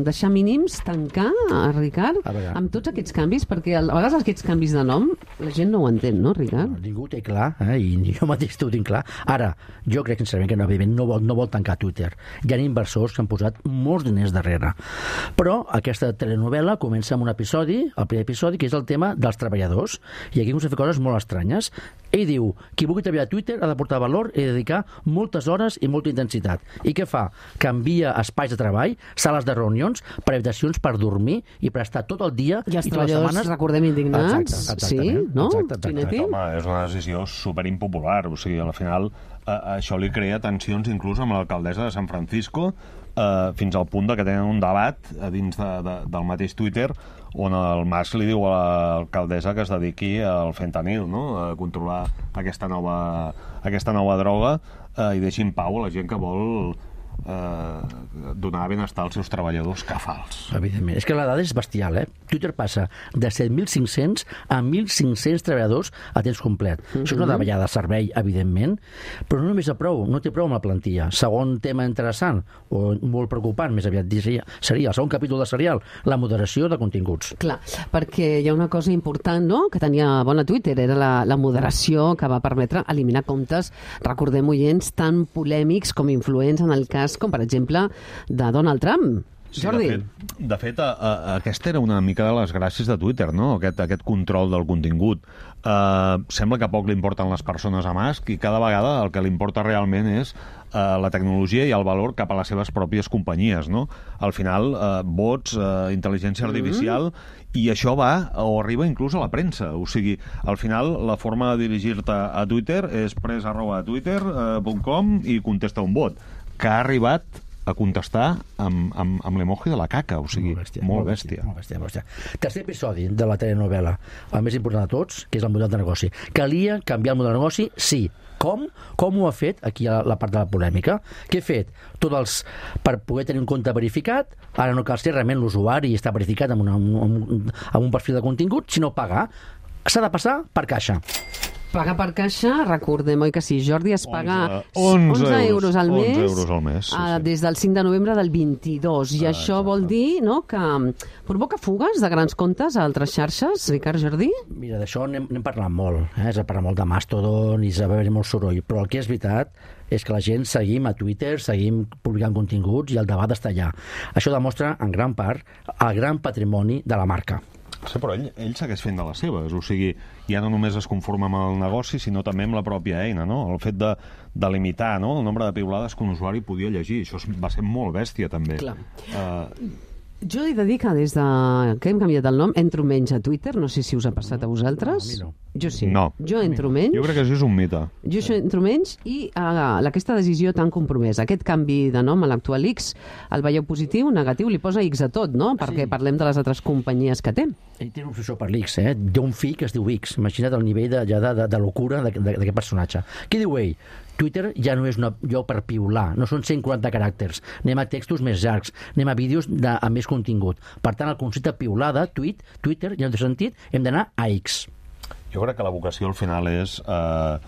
deixar mínims, tancar, Ricard, amb tots aquests canvis, perquè a vegades aquests canvis de nom la gent no ho entén, no, Ricard? No, ningú té clar, eh? I jo mateix t'ho tinc clar. Ara, jo crec sincerament que no, no, vol, no vol tancar Twitter. Hi ha inversors que han posat molts diners darrere. Però aquesta telenovel·la comença amb un episodi, el primer episodi, que és el tema dels treballadors, i aquí comença a fer coses molt estranyes. Ell diu, qui vulgui treballar a Twitter ha de portar valor i dedicar moltes hores i molta intensitat. I què fa? Canvia espais de treball, sales de reunions, per habitacions per dormir i per estar tot el dia i els i treballadors, setmanes... recordem, indignats. Exacte, sí, no? Exacte, exacte. Home, és una decisió superimpopular. O sigui, al final, eh, això li crea tensions inclús amb l'alcaldessa de San Francisco, eh, fins al punt de que tenen un debat a dins de, de, del mateix Twitter on el Musk li diu a l'alcaldessa que es dediqui al fentanil, no? A controlar aquesta nova, aquesta nova droga eh, i deixi en pau a la gent que vol eh, donar benestar als seus treballadors cafals. Evidentment. És que la dada és bestial, eh? Twitter passa de set mil cinc-cents a mil cinc-cents treballadors a temps complet. Mm-hmm. Això és una davallada de servei, evidentment, però no només a prou, no té prou amb la plantilla. Segon tema interessant, o molt preocupant, més aviat seria, seria el segon capítol de serial, la moderació de continguts. Clar, perquè hi ha una cosa important, no?, que tenia bona Twitter, era la, la moderació que va permetre eliminar comptes, recordem, oients, tan polèmics com influents en el cas, com per exemple, de Donald Trump. Sí, Jordi. de fet, de fet a, a, aquesta era una mica de les gràcies de Twitter, no? Aquest, aquest control del contingut. Uh, sembla que poc li importen les persones a Musk i cada vegada el que li importa realment és uh, la tecnologia i el valor cap a les seves pròpies companyies, no? Al final, uh, bots, uh, intel·ligència artificial, mm-hmm. i això va o arriba inclús a la premsa. O sigui, al final, la forma de dirigir-te a Twitter és press arroba twitter punt com i contesta un bot, que ha arribat a contestar amb, amb, amb l'emoji de la caca, o sigui, molt bèstia. Molt bèstia. Molt bèstia, molt bèstia. Tercer episodi de la telenovel·la, el més important de tots, que és el model de negoci. Calia canviar el model de negoci? Sí. Com? Com ho ha fet? Aquí hi ha la part de la polèmica. Què ha fet? Tots els... Per poder tenir un compte verificat, ara no cal ser realment l'usuari i està verificat amb, una, amb, un, amb un perfil de contingut, sinó pagar. S'ha de passar per caixa. Pagar per caixa, recordem, oi que sí, Jordi, es paga onze, onze euros al mes, onze euros al mes sí, sí. des del cinc de novembre del vint-i-dos. I ah, això exacte. Vol dir, no?, que provoca fugues de grans comptes a altres xarxes, Ricard, Jordi? Mira, d'això n'hem, n'hem parlat molt, eh? Es parla molt de Mastodon i es va haver molt soroll, però el que és veritat és que la gent seguim a Twitter, seguim publicant continguts i el debat està allà. Això demostra, en gran part, el gran patrimoni de la marca. Sí, però ell, ell segueix fent de les seves, o sigui, ja no només es conforma amb el negoci, sinó també amb la pròpia eina, no? El fet de, de limitar, no?, el nombre de piulades que un usuari podia llegir, això va ser molt bèstia, també. Clar. Uh, Jo he de dir que des de que hem canviat el nom entro menys a Twitter, no sé si us ha passat a vosaltres. No, a mi no. Jo sí. No. Jo entro menys. jo crec que això és un mite. Jo això entro menys i uh, aquesta decisió tan compromesa, aquest canvi de nom a l'actual X, el veieu positiu, negatiu, li posa X a tot, no? Perquè Sí. parlem de les altres companyies que té. Ell té una obsessió per l'X, eh? Té un fill que es diu X. Imagina't el nivell de, ja de, de, de locura d'aquest personatge. Què diu ell? Twitter ja no és un lloc per piular, no són cent quaranta caràcters. Anem a textos més llargs, anem a vídeos de, amb més contingut. Per tant, el concepte piulada, tweet, Twitter, ja no té sentit, hem d'anar a X. Jo crec que la vocació al final és eh,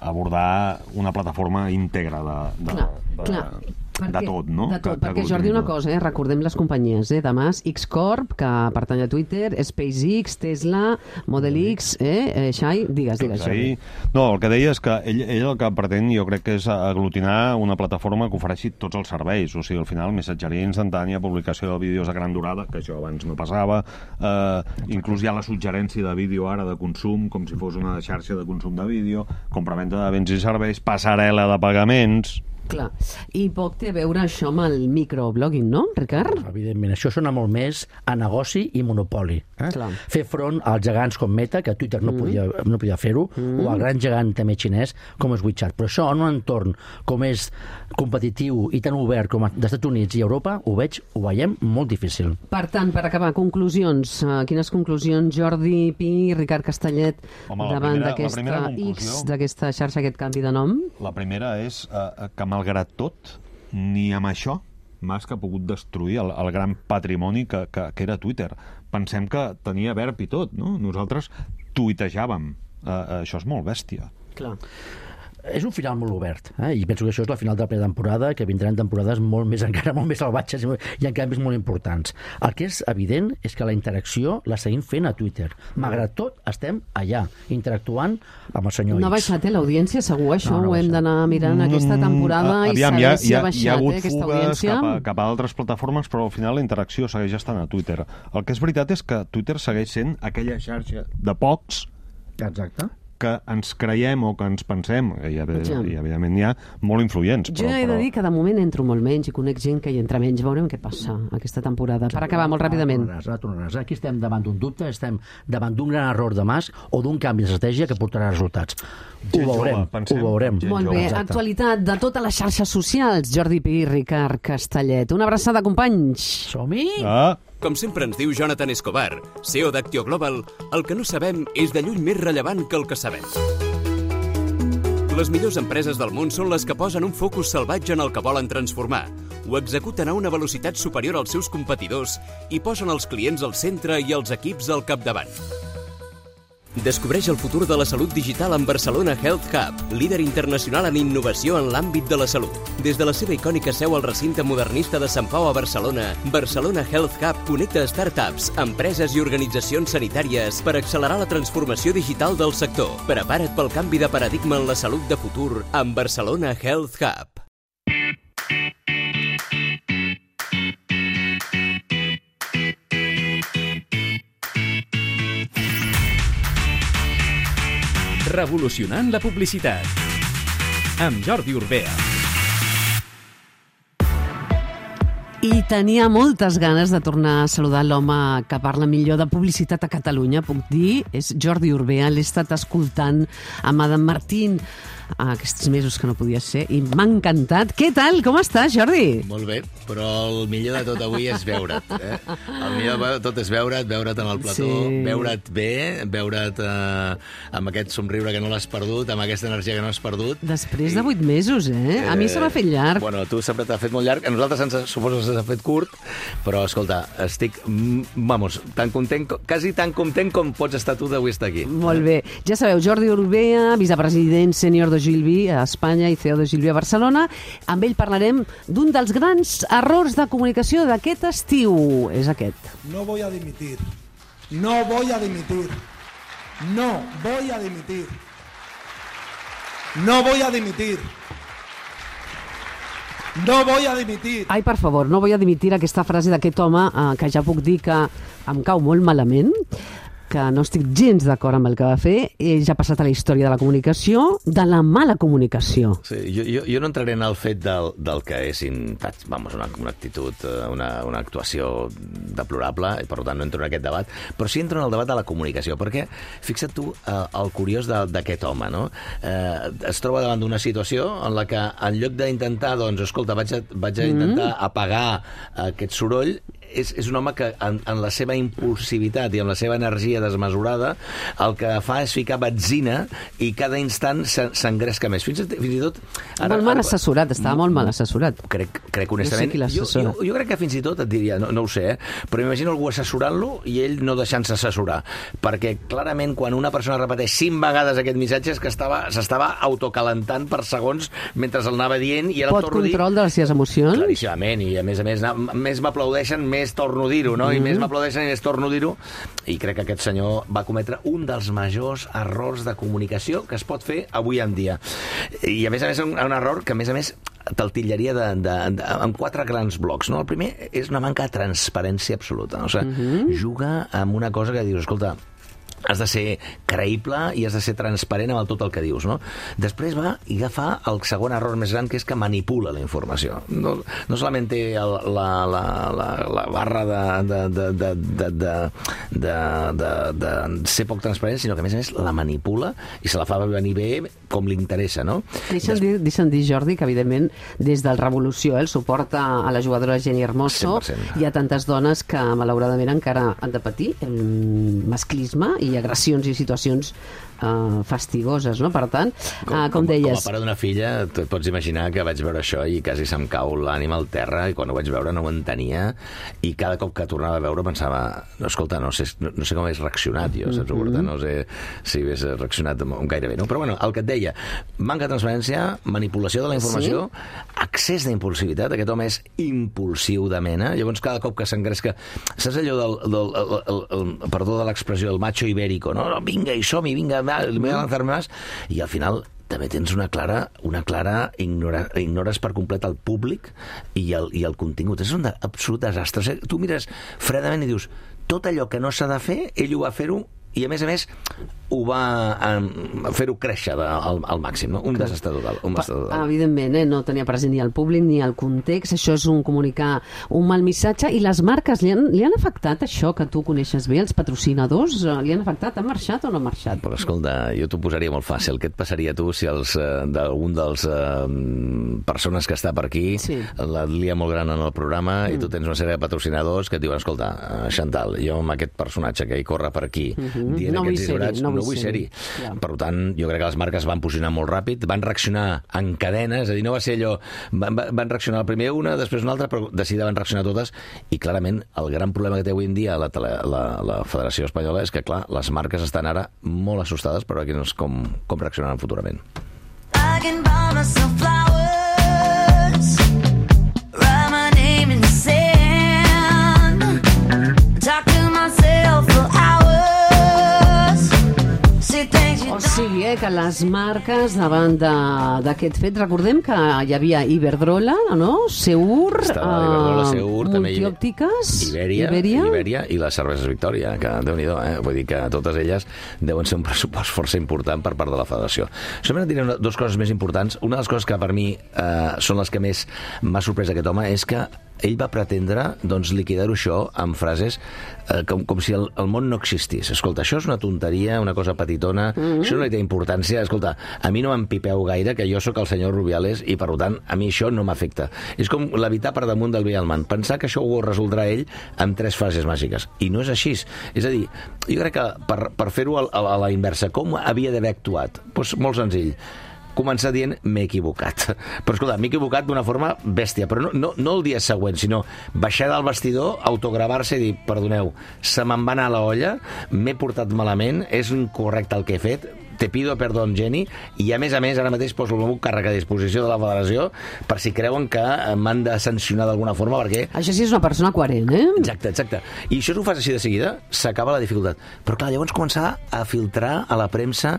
abordar una plataforma íntegra de, de, Clar, de, clar. de, Perquè, de tot, no? De tot, Que- que perquè Jordi, una contingut. cosa, eh? recordem les companyies, eh? demà X-Corp, que pertany a Twitter, SpaceX, Tesla, Model X, eh? eh Xai, digues, digues, Jordi. Ahí... No, el que deia és que ell, ell el que pretén, jo crec que és aglutinar una plataforma que ofereixi tots els serveis, o sigui, al final, missatgeria instantània, publicació de vídeos de gran durada, que això abans no passava, eh, inclús hi ha la suggerència de vídeo ara de consum, com si fos una xarxa de consum de vídeo, compraventa de béns i serveis, passarel·la de pagaments... Clar, i poc té a veure això amb el microblogging, no, Ricard? Evidentment, això sona molt més a negoci i monopoli. Eh? Clar. Fer front als gegants com Meta, que Twitter no Mm. podia, no podia fer-ho, o al gran gegant també xinès com és WeChat. Però això en un entorn com és competitiu i tan obert com dels Estats Units i Europa, ho veig, ho veiem molt difícil. Per tant, per acabar, conclusions. Uh, quines conclusions, Jordi Pi, Ricard Castellet, Home, la davant primera- la d'aquesta primera conclusió- X, d'aquesta xarxa, aquest canvi de nom? La primera és eh, que, malgrat tot, ni amb això Musk ha pogut destruir el, el gran patrimoni que, que, que era Twitter. Pensem que tenia verb i tot, no? Nosaltres tuitejàvem. Uh, això és molt bèstia. Clar. És un final molt obert, eh? I penso que això és la final de la primera temporada, que vindran temporades molt més, encara molt més salvatges i en canvis molt importants. El que és evident és que la interacció la seguim fent a Twitter. Malgrat tot, estem allà, interactuant amb el senyor No ha X. baixat, eh, l'audiència, segur, això No, no ho ha hem baixat. d'anar mirant aquesta temporada Mm, i aviam, saber hi ha, si hi ha ha, baixat hi ha hagut eh, aquesta fugues audiència. cap a, cap a altres plataformes, però al final la interacció segueix estant a Twitter. El que és veritat és que Twitter segueix sent aquella xarxa de pocs Exacte. que ens creiem o que ens pensem, i, Ja. i evidentment n'hi ha molt influents. Jo però, he de però... dir que de moment entro molt menys i conec gent que hi entra menys. Veurem què passa aquesta temporada. Per acabar molt ràpidament. Ara tornaràs, ara tornaràs. Aquí estem davant d'un dubte, estem davant d'un gran error de Musk o d'un canvi d'estratègia que portarà resultats. Ho Gent veurem, jove, pensem. ho veurem. Gent Molt jove. bé, Exacte. actualitat de totes les xarxes socials. Jordi Pi, Ricard Castellet. Una abraçada, companys. Som-hi! Ah, Com sempre ens diu Jonathan Escobar, C E O d'Actio Global, el que no sabem és de lluny més rellevant que el que sabem. Les millors empreses del món són les que posen un focus salvatge en el que volen transformar, ho executen a una velocitat superior als seus competidors i posen els clients al centre i els equips al capdavant. Descobreix el futur de la salut digital amb Barcelona Health Hub, líder internacional en innovació en l'àmbit de la salut. Des de la seva icònica seu al recinte modernista de Sant Pau a Barcelona, Barcelona Health Hub connecta startups, empreses i organitzacions sanitàries per accelerar la transformació digital del sector. Prepara't pel canvi de paradigma en la salut de futur amb Barcelona Health Hub. Revolucionant la publicitat. Amb Jordi Urbea. I tenia moltes ganes de tornar a saludar l'home que parla millor de publicitat a Catalunya, puc dir, és Jordi Urbea. L'he estat escoltant amb Adam Martín aquests mesos que no podia ser i m'ha encantat. Què tal? Com estàs, Jordi? Molt bé, però el millor de tot avui és veure't. Eh? El millor de tot és veure't, veure't en el plató, Sí. veure't bé, veure't eh, amb aquest somriure que no l'has perdut, amb aquesta energia que no has perdut. Després de vuit mesos, eh? A mi se m'ha fet llarg. Bueno, a tu sempre t'ha fet molt llarg, a nosaltres ens suposo que s'ha fet curt, però escolta, estic, mm, vamos, tan content, co- quasi tan content com pots estar tu d'avui estar aquí. Molt bé. Ja sabeu, Jordi Urbea, vicepresident sènior de Gilby a Espanya i C E O de Gilby a Barcelona. Amb ell parlarem d'un dels grans errors de comunicació d'aquest estiu. És aquest. No voy a dimitir. No voy a dimitir. No voy a dimitir. No voy a dimitir. No voy a dimitir. Ai, per favor, no vull dimitir aquesta frase d'aquest home eh, que ja puc dir que em cau molt malament, que no estic gens d'acord amb el que va fer. Ell ja ha passat a la història de la comunicació, de la mala comunicació. Sí, jo, jo, jo no entraré en el fet del, del que és vamos, una, una actitud, una, una actuació deplorable, i per tant no entro en aquest debat, però sí entro en el debat de la comunicació, perquè fixa't tu eh, el curiós d'aquest home, no? Eh, es troba davant d'una situació en la que en lloc d'intentar, doncs, escolta, vaig a, vaig a intentar mm. apagar aquest soroll, és, és un home que en, en la seva impulsivitat i amb la seva energia desmesurada el que fa és ficar benzina i cada instant s'engresca més. Fins, fins i tot... Ara, molt mal ara, assessorat, estava molt mal assessorat. Crec, crec honestament... No sé jo, jo, jo crec que fins i tot et diria, no, no ho sé, eh, però m'imagino algú assessorant-lo i ell no deixant-se assessorar. Perquè clarament quan una persona repeteix cinc vegades aquest missatge és que s'estava autocalentant per segons mentre el anava dient i ara Pot torno a dir... control de les seves emocions? Claríssimament, i a més a més, més m'aplaudeixen, més torno a dir-ho, no? Mm. I més m'aplaudeixen i més torno a dir-ho. I crec que aquest senyor va cometre un dels majors errors de comunicació que es pot fer avui en dia. I a més a més un, un error que a més a més te'l titllaria de, de, de, amb quatre grans blocs, no? El primer és una manca de transparència absoluta. O sigui, mm-hmm. juga amb una cosa que dius, escolta, has de ser creïble i has de ser transparent amb el tot el que dius, no? Després va i agafa el segon error més gran, que és que manipula la informació. No, no solament té el, la, la, la, la barra de, de, de, de, de, de, de, de, de ser poc transparent, sinó que a més a més la manipula i se la fa venir bé com li interessa, no? Deixa'm dir, deixa'm dir, Jordi, que evidentment des del Revolució eh, el suport a, a la jugadora Jenny Hermoso, cent per cent. Hi ha tantes dones que malauradament encara han de patir el masclisme i agressions i situacions uh, fastigoses, no? Per tant, com, uh, com com, deies... Com a pare d'una filla, tu et pots imaginar que vaig veure això i quasi se'm cau l'ànima al terra, i quan ho vaig veure no ho entenia, i cada cop que tornava a veure pensava, no, escolta, no sé, no, no sé com hagués reaccionat jo, saps? Mm-hmm. No sé si hagués reaccionat gairebé, no? Però bueno, el que et deia, manca de transparència, manipulació de la informació, sí? Excés d'impulsivitat, aquest home és impulsiu de mena, llavors cada cop que s'engresca, saps allò del, del el, el, el, perdó de l'expressió, el macho ibérico, no? Vinga, i som-hi, vinga, me voy a lanzar más, i al final també tens una clara, una clara ignora, ignores per complet el públic i el, i el contingut. És un absolut desastre. Tu mires fredament i dius, tot allò que no s'ha de fer, ell ho va fer-ho, i a més a més ho va um, fer-ho créixer de, al, al màxim, no? Un desastre total, un desastre total. Evidentment, eh? No tenia present ni el públic ni el context, això és un comunicar un mal missatge, i les marques li han, li han afectat això que tu coneixes bé, els patrocinadors li han afectat, han marxat o no han marxat? Però escolta, jo t'ho posaria molt fàcil, què et passaria a tu si els, uh, d'algun dels uh, persones que està per aquí sí. la lia molt gran en el programa mm. i tu tens una sèrie de patrocinadors que et diuen, escolta, uh, Chantal, jo amb aquest personatge que hi corre per aquí mm-hmm. dient no aquests disbarats, no, no vull ser-hi. Ja. Per tant, jo crec que les marques van posicionar molt ràpid, van reaccionar en cadena, és a dir, no va ser allò... Van, van reaccionar primer una, després una altra, però de seguida van reaccionar totes, i clarament el gran problema que té avui en dia la, la, la Federació Espanyola és que, clar, les marques estan ara molt assustades per veure com, com reaccionaran futurament. I can buy myself flowers, write my name in the sand, talk to myself for hours. O sigui, eh, que les marques davant d'aquest fet, recordem que hi havia Iberdrola, no? Seur, Iberdrola, Seur, uh, Multiòptiques, Ibèria, Ibèria. Ibèria i les cerveses Victòria, que déu-n'hi-do, eh? Vull dir que totes elles deuen ser un pressupost força important per part de la Federació. Això em diré dues coses més importants. Una de les coses que per mi eh, són les que més m'ha sorprès aquest home és que ell va pretendre doncs, liquidar-ho això amb frases eh, com, com si el, el món no existís. Escolta, això és una tonteria, una cosa petitona, mm-hmm. això no hi té importància. Escolta, a mi no m'empipeu gaire, que jo sóc el senyor Rubiales i, per tant, a mi això no m'afecta. És com levitar per damunt del bé i el mal. Pensar que això ho resoldrà ell amb tres frases màgiques. I no és així. És a dir, jo crec que per, per fer-ho a, a la inversa, com havia d'haver actuat? Doncs molt senzill. Començar dient m'he equivocat. Però escolta, m'he equivocat d'una forma bèstia, però no, no, no el dia següent, sinó baixar del vestidor, autogravar-se i dir, perdoneu, se me'n va anar a la olla, m'he portat malament, és incorrecte el que he fet, te pido perdón, Jenny, i a més a més ara mateix poso el meu càrrec a disposició de la Federació per si creuen que m'han de sancionar d'alguna forma, perquè... Això sí és una persona coherent, eh? Exacte, exacte. I això ho fas així de seguida, s'acaba la dificultat. Però clar, llavors començar a filtrar a la premsa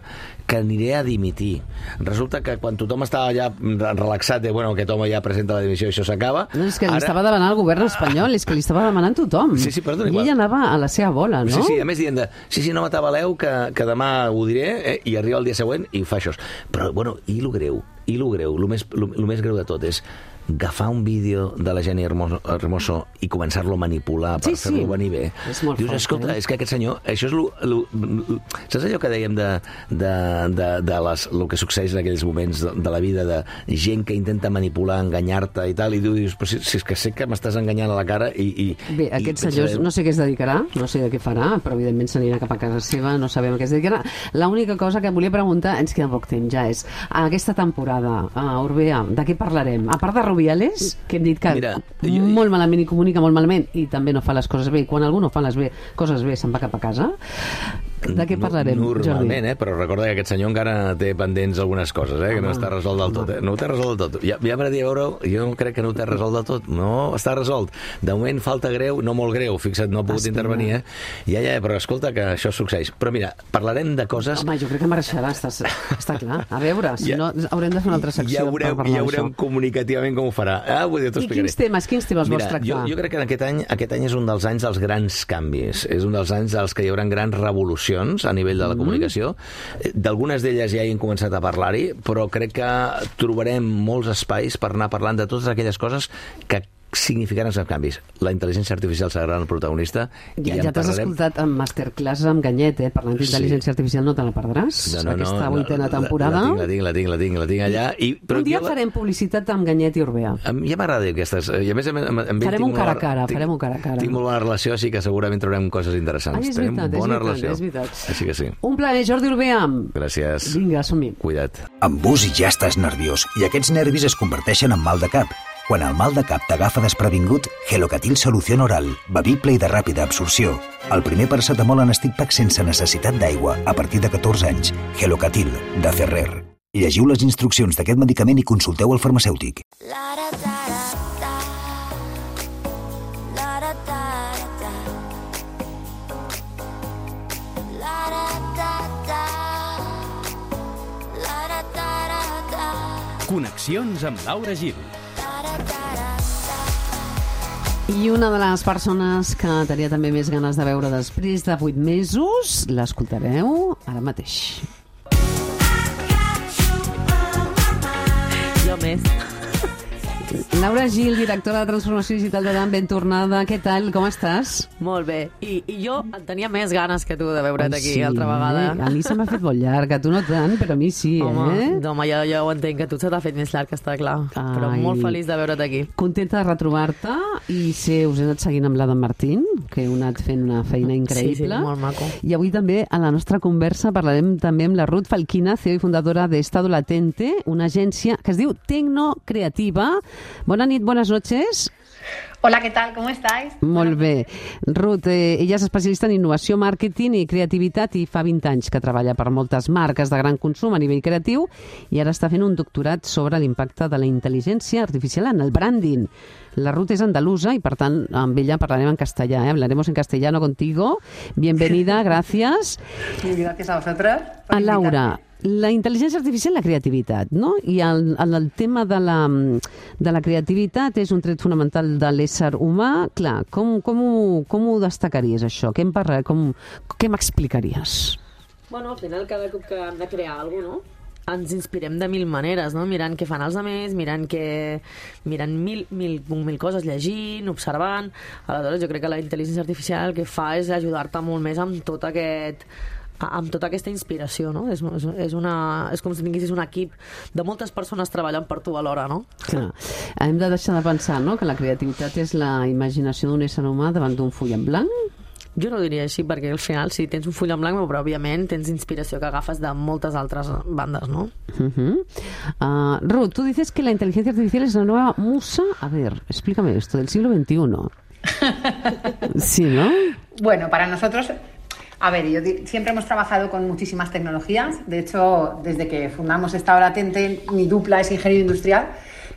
que aniré a dimitir. Resulta que quan tothom estava ja relaxat de, bueno, aquest home ja presenta la dimissió i això s'acaba... No, és que li ara... estava demanant el govern espanyol, és que li estava demanant tothom. Sí, sí, perdona. I ell anava a la seva bola, no? Sí, sí, a més dient de, sí, sí, no m'atabaleu, que, que demà ho diré, eh, i arriba el dia següent i fa això. Però, bueno, i lo greu, i lo greu, lo més, lo, lo més greu de tot és agafar un vídeo de la Jenny Hermoso, Hermoso i començar-lo a manipular per sí, fer-lo sí. venir bé. És molt Dius, fort, escolta, eh? és que aquest senyor... Això és lo, lo, lo, saps allò que dèiem de, de, de, de les, lo que succeeix en aquells moments de, de la vida, de gent que intenta manipular, enganyar-te i tal, i tu dius, però si, si és que sé que m'estàs enganyant a la cara i... i bé, aquest i senyor no sé què es dedicarà, no sé de què farà, però evidentment s'anirà cap a casa seva, no sabem a què es dedicarà. L'única cosa que volia preguntar, ens queda poc temps ja, és aquesta temporada, a Orbea, de què parlarem? A part de Rubiales, que hem dit que Mira, jo... molt malament i comunica molt malament i també no fa les coses bé, i quan algú no fa les bé, coses bé se'n va cap a casa. De què parlarem, Normalment, Jordi? eh? Però recorda que aquest senyor encara té pendents algunes coses, eh? Que no està resolt del tot, eh? No ho té resolt del tot. Ja, ja m'agradaria veure, jo no crec que no ho té resolt del tot. No està resolt. De moment falta greu, no molt greu, fixa't, no ha pogut Espera. intervenir, eh? Ja, ja, però escolta que això succeeix. Però mira, parlarem de coses... Home, jo crec que marxarà, està, està clar. A veure, si ja, no, haurem de fer una altra secció ja veurem, per parlar ja veurem comunicativament com ho farà. Ah, vull dir, I quins temes, quins temes mira, vols tractar? Jo, jo crec que aquest any, aquest any és un dels anys dels grans canvis. És un dels anys dels que hi haurà grans revolucions a nivell de la comunicació. D'algunes d'elles ja hi hem començat a parlar-hi, però crec que trobarem molts espais per anar parlant de totes aquelles coses que significaran els canvis. La intel·ligència artificial serà el protagonista. Ja, ja t'has parlarem... escoltat en masterclass amb Ganyet, eh? Parlant d'intel·ligència sí. artificial, no te la perdràs? No, no, Aquesta no, vuitena no, temporada. La, la, tinc, la tinc, la tinc, la tinc allà. I, però un dia la... farem publicitat amb Ganyet i Orbea. Ja m'agrada aquestes. I a més, amb, amb farem un cara a cara, tinc, farem un cara a cara. Tinc molt bona relació, així que segurament trobarem coses interessants. Ai, és veritat, Tenim bona és veritat, relació. és veritat. Així que sí. Un plaer, Jordi Orbea. Gràcies. Vinga, som-hi. Cuida't. Amb bus ja estàs nerviós i aquests nervis es converteixen en mal de cap. Quan el mal de cap t'agafa desprevingut, Gelocatil Solució Oral, bevible i de ràpida absorció. El primer paracetamol en stick pack sense necessitat d'aigua, a partir de catorze anys. Gelocatil, de Ferrer. Llegiu les instruccions d'aquest medicament i consulteu el farmacèutic. Connexions amb Laura Gil. I una de les persones que tenia també més ganes de veure després de vuit mesos, l'escoltareu ara mateix. Jo més. Laura Gil, directora de Transformació Digital de Dan, ben tornada. Què tal? Com estàs? Molt bé. I, i jo en tenia més ganes que tu de veure't aquí sí, altra vegada. A mi se m'ha fet molt llarg, a tu no tant, però a mi sí, home, eh? Home, jo, jo ho entenc, que tu se t'ha fet més llarg, està clar. Ai, però molt feliç de veure't aquí. Contenta de retrobar-te i sé, us he anat seguint amb l'Adam Martín, que heu anat fent una feina increïble. Sí, sí, molt maco. I avui també, a la nostra conversa, parlarem també amb la Ruth Falquina, C E O i fundadora de Estado Latente, una agència que es diu Tecnocreativa. Bona nit, buenas noches. Hola, ¿qué tal? ¿Cómo estáis? Molt bé. Ruth, eh, ella és especialista en innovació, màrqueting i creativitat i fa vint anys que treballa per moltes marques de gran consum a nivell creatiu i ara està fent un doctorat sobre l'impacte de la intel·ligència artificial en el branding. La Ruth és andalusa i, per tant, amb ella parlarem en castellà, ¿eh? Hablaremos en castellano contigo. Bienvenida, gracias. Sí, gracias a vosotros. A Laura, la intel·ligència artificial i la creativitat, no? I el, el, el tema de la, de la creativitat és un tret fonamental de l'ésser humà. Clar, com, com, ho, com ho destacaries, això? Què em parla, com, què m'explicaries? Bueno, al final, cada cop que hem de crear alguna cosa, no? ens inspirem de mil maneres, no? Mirant què fan els altres, mirant, que, mirant mil, mil, mil coses, llegint, observant. Aleshores, jo crec que la intel·ligència artificial el que fa és ajudar-te molt més amb tot aquest... amb tota aquesta inspiració, no? És, és, és, una, és com si tinguessis un equip de moltes persones treballant per tu alhora, no? Clar. Hem de deixar de pensar, no?, que la creativitat és la imaginació d'un ésser humà davant d'un full en blanc. Jo no diria així, perquè al final sí, tens un full en blanc, però òbviament tens inspiració que agafes de moltes altres bandes, ¿no? Uh-huh. uh, Ruth, tú dices que la inteligencia artificial es la nueva musa. A ver, explícame esto, del siglo veintiuno. Sí, ¿no? Bueno, para nosotros... A ver, yo siempre hemos trabajado con muchísimas tecnologías. De hecho, desde que fundamos Estado Latente, mi dupla es ingeniero industrial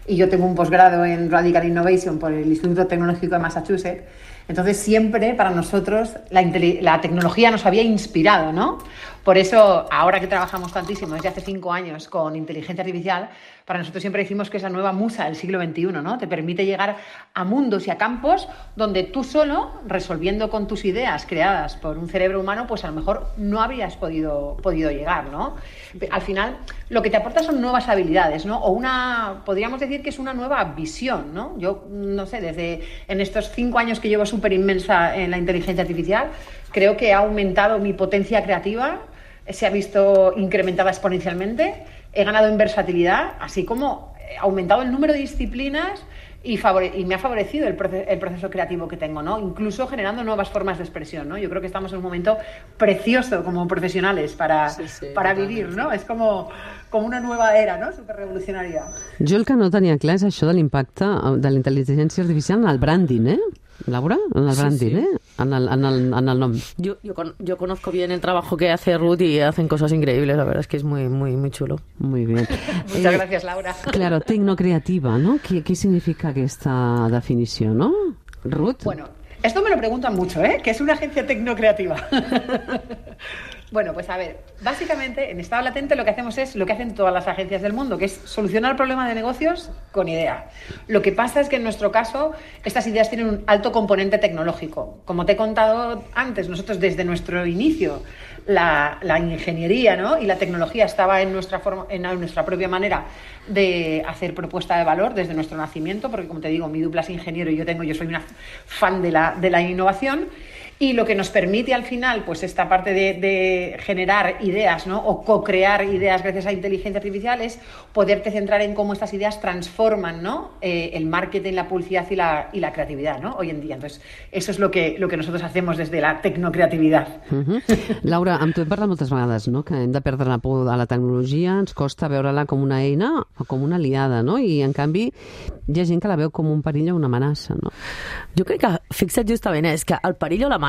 y yo tengo un posgrado en Radical Innovation por el Instituto Tecnológico de Massachusetts. Entonces, siempre para nosotros la, la tecnología nos había inspirado, ¿no? Por eso, ahora que trabajamos tantísimo desde hace cinco años con inteligencia artificial, para nosotros siempre decimos que es la nueva musa del siglo veintiuno, ¿no? Te permite llegar a mundos y a campos donde tú solo, resolviendo con tus ideas creadas por un cerebro humano, pues a lo mejor no habrías podido, podido llegar, ¿no? Al final, lo que te aporta son nuevas habilidades, ¿no? O una, podríamos decir que es una nueva visión, ¿no? Yo, no sé, desde en estos cinco años que llevo súper inmensa en la inteligencia artificial, creo que ha aumentado mi potencia creativa, se ha visto incrementada exponencialmente, he ganado en versatilidad, así como he aumentado el número de disciplinas y, favore- y me ha favorecido el, proce- el proceso creativo que tengo, ¿no? Incluso generando nuevas formas de expresión, ¿no? Yo creo que estamos en un momento precioso como profesionales para, Sí, sí, para vivir, ¿no? Es como, como una nueva era, ¿no? Súper revolucionaria. Jo el que no tenia clar és això de l'impacte de la intel·ligència artificial en el branding, eh? Laura, en el Sí, branding, sí. ¿eh? En el, en, el, en el nom. Yo, yo, con- yo conozco bien el trabajo que hace Ruth y hacen cosas increíbles, la verdad es que es muy, muy, muy chulo. Muy bien. Muchas gracias, Laura. Claro, tecnocreativa, no? Què, què significa aquesta definició, no? Ruth? Bueno, esto me lo preguntan mucho, ¿eh? Que es una agencia tecnocreativa. Bueno, pues a ver, básicamente en estado latente lo que hacemos es lo que hacen todas las agencias del mundo, que es solucionar el problema de negocios con idea. Lo que pasa es que en nuestro caso estas ideas tienen un alto componente tecnológico. Como te he contado antes, nosotros desde nuestro inicio la, la ingeniería, ¿no? y la tecnología estaba en nuestra, forma, en nuestra propia manera de hacer propuesta de valor desde nuestro nacimiento, porque como te digo, mi dupla es ingeniero y yo tengo, yo soy una fan de la, de la innovación. Y lo que nos permite al final, pues esta parte de, de generar ideas, ¿no? o co-crear ideas gracias a inteligencia artificial es poderte centrar en cómo estas ideas transforman, ¿no? eh, el marketing, la publicidad y la, y la creatividad, ¿no? hoy en día. Entonces, eso es lo que, lo que nosotros hacemos desde la tecnocreatividad. Uh -huh. Laura, amb tu hem parlat moltes vegades, no? que hem de perdre la por a la tecnologia, ens costa veure-la com una eina o com una aliada, no? i en canvi hi ha gent que la veu com un perill o una amenaça. No? Jo crec que, fixa't justament, és que el perill o l'amenaça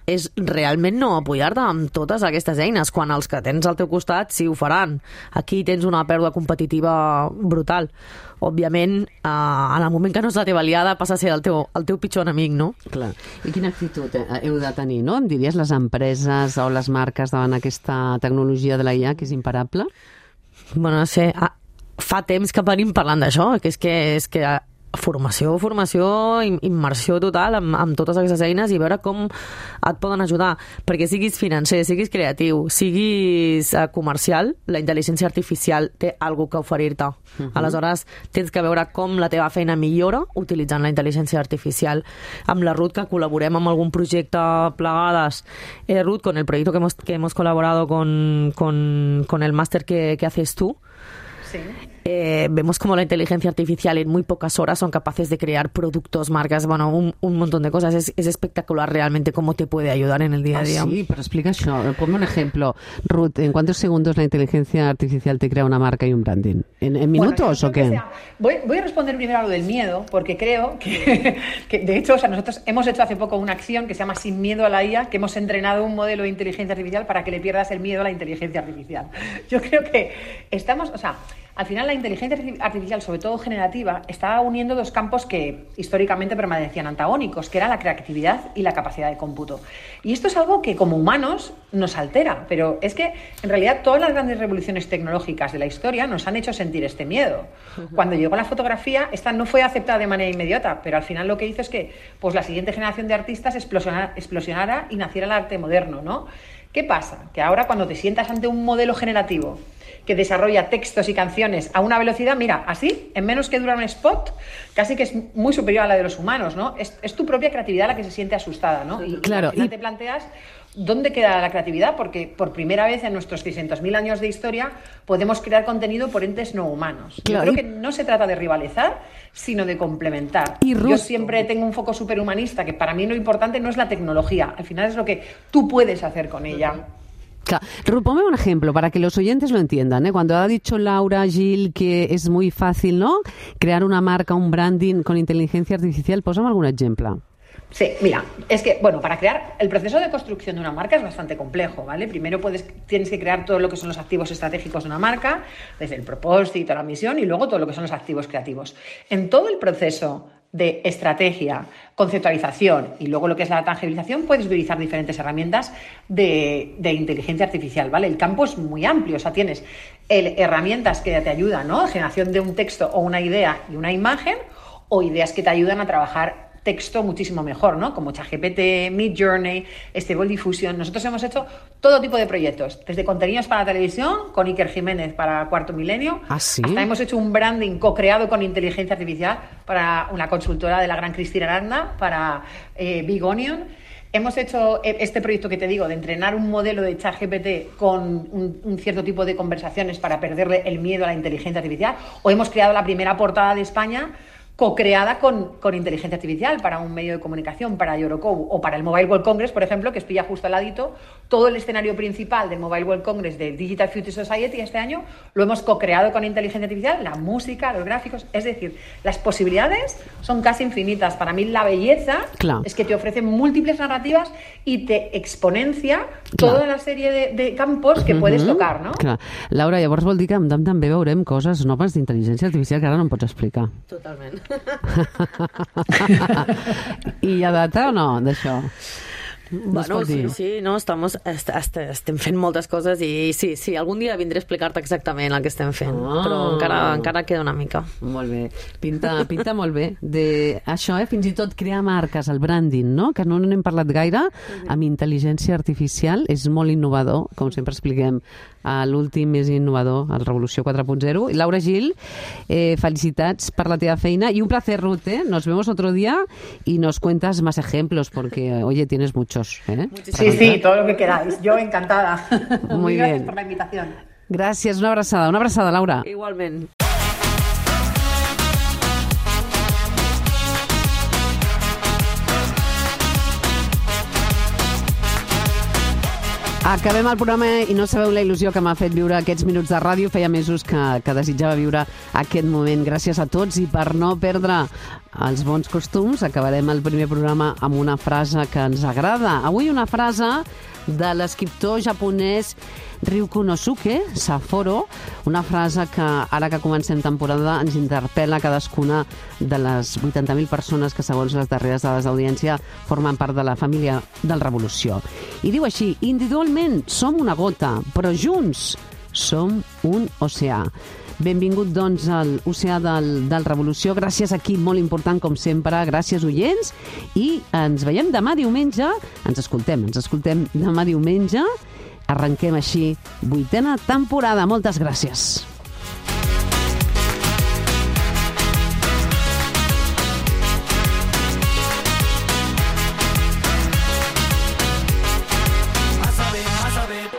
és realment no apoyar-te amb totes aquestes eines, quan els que tens al teu costat sí ho faran. Aquí tens una pèrdua competitiva brutal. Òbviament, eh, en el moment que no és la teva aliada passa a ser el teu, el teu pitjor enemic, no? Clar. I quina actitud eh, heu de tenir, no? Em diries les empreses o les marques davant aquesta tecnologia de la I A que és imparable? Bueno, no sé, ah, fa temps que venim parlant d'això, que és que, és que formació, formació, im- immersió total amb, amb totes aquestes eines i veure com et poden ajudar, perquè siguis financer, siguis creatiu, siguis eh, comercial, la intel·ligència artificial té alguna que oferir-te. Mhm. Aleshores, tens que veure com la teva feina millora utilitzant la intel·ligència artificial. Amb la Ruth, que col·laborem amb algun projecte plegades, eh, Ruth, con el proyecto que hemos, que hemos colaborado con, con, con el máster que, que haces tú, Sí. Eh, vemos como la inteligencia artificial en muy pocas horas son capaces de crear productos, marcas, bueno, un, un montón de cosas. Es, es espectacular realmente cómo te puede ayudar en el día a día. Ah, sí, pero explica això. Ponme un ejemplo. Ruth, ¿en cuántos segundos la inteligencia artificial te crea una marca y un branding? ¿En, en Bueno, minutos yo o creo qué? que sea- voy, voy a responder primero a lo del miedo, porque creo que, que, de hecho, o sea, nosotros hemos hecho hace poco una acción que se llama Sin miedo a la I A, que hemos entrenado un modelo de inteligencia artificial para que le pierdas el miedo a la inteligencia artificial. Yo creo que estamos, o sea, al final la inteligencia arti- artificial, sobre todo generativa, está uniendo dos campos que históricamente permanecían antagónicos, que era la creatividad y la capacidad de cómputo. Y esto es algo que como humanos nos altera, pero es que en realidad todas las grandes revoluciones tecnológicas de la historia nos han hecho sentir este miedo. Cuando llegó la fotografía, esta no fue aceptada de manera inmediata, pero al final lo que hizo es que pues, la siguiente generación de artistas explosionara, explosionara y naciera el arte moderno, ¿no? ¿Qué pasa? Que ahora cuando te sientas ante un modelo generativo que desarrolla textos y canciones a una velocidad, mira, así, en menos que dura un spot, casi que es muy superior a la de los humanos, ¿no? Es, es tu propia creatividad la que se siente asustada, ¿no? Y, Claro, y al final y- te planteas dónde queda la creatividad, porque por primera vez en nuestros seiscientos mil años de historia podemos crear contenido por entes no humanos. Claro, Yo y- creo que no se trata de rivalizar, sino de complementar. Y Yo Ruth- siempre tengo un foco superhumanista, que para mí lo importante no es la tecnología, al final es lo que tú puedes hacer con ella. Claro. Ruth, ponme un ejemplo para que los oyentes lo entiendan, ¿eh? Cuando ha dicho Laura, Gil, que es muy fácil, ¿no? Crear una marca, un branding con inteligencia artificial, posa'm algun exemple. Sí, mira, es que, bueno, para crear el proceso de construcción de una marca es bastante complejo, ¿vale? Primero puedes, tienes que crear todo lo que son los activos estratégicos de una marca, desde el propósito, la misión y luego todo lo que son los activos creativos. En todo el proceso de estrategia, conceptualización y luego lo que es la tangibilización, puedes utilizar diferentes herramientas de, de inteligencia artificial, ¿vale? El campo es muy amplio, o sea, tienes el, herramientas que te ayudan, ¿no? Generación de un texto o una idea y una imagen, o ideas que te ayudan a trabajar texto muchísimo mejor, ¿no? Como ChatGPT, Midjourney, Stable Diffusion. Nosotros hemos hecho todo tipo de proyectos, desde contenidos para televisión, con Iker Jiménez para Cuarto Milenio, ¿Ah, sí? hasta hemos hecho un branding co-creado con inteligencia artificial para una consultora de la gran Cristina Aranda, para eh, Big Onion. Hemos hecho este proyecto que te digo, de entrenar un modelo de ChatGPT con un, un cierto tipo de conversaciones para perderle el miedo a la inteligencia artificial, o hemos creado la primera portada de España co-creada con, con inteligencia artificial para un medio de comunicación, para Eurocow o para el Mobile World Congress, por ejemplo, que pilla justo al ladito. Todo el escenario principal del Mobile World Congress de Digital Future Society este año lo hemos co-creado con inteligencia artificial, la música, los gráficos, es decir, las posibilidades son casi infinitas. Para mí la belleza Clar. es que te ofrece múltiples narrativas y te exponencia Clar. toda la sèrie de, de campos que puedes tocar, no? Clar. Laura, llavors vol dir que amb Dam també veurem coses noves d'intel·ligència artificial que ara no em pots explicar. Totalment. I hi ha data o no, d'això? No es Bueno, pot sí, dir. sí, no, estamos, est est estem fent moltes coses i sí, sí, algun dia vindré a explicar-te exactament el que estem fent, Ah. però encara, encara queda una mica. Molt bé, pinta, pinta molt bé. De això, eh? Fins i tot crear marques, el branding, no? Que no n'hem parlat gaire, amb intel·ligència artificial, és molt innovador, com sempre expliquem, a l'últim més innovador, el Revolució quatre punt zero. I Laura Gil, eh, felicitats per la teva feina y un placer, Ruth, ¿eh? Nos vemos otro día y nos cuentas más ejemplos porque, oye, tienes muchos, ¿eh? Sí, sí, todo lo que queráis. Yo encantada. Muy Gracias bien. por la invitación. Gràcies, una abraçada, una abraçada, Laura. Igualment. Acabem el programa i no sabeu la il·lusió que m'ha fet viure aquests minuts de ràdio. Feia mesos que, que desitjava viure aquest moment. Gràcies a tots i per no perdre els bons costums acabarem el primer programa amb una frase que ens agrada. Avui una frase de l'escriptor japonès Ryu Konosuke Saforo, una frase que ara que comencem temporada ens interpel·la cadascuna de les vuitanta mil persones que segons les darreres dades d'audiència formen part de la família del Revolució. I diu així: individualment som una gota, però junts som un oceà. Benvingut, doncs, a l'oceà del, del Revolució. Gràcies, equip, molt important, com sempre. Gràcies, oients. I ens veiem demà diumenge. Ens escoltem, ens escoltem demà diumenge. Arrenquem així vuitena temporada. Moltes gràcies.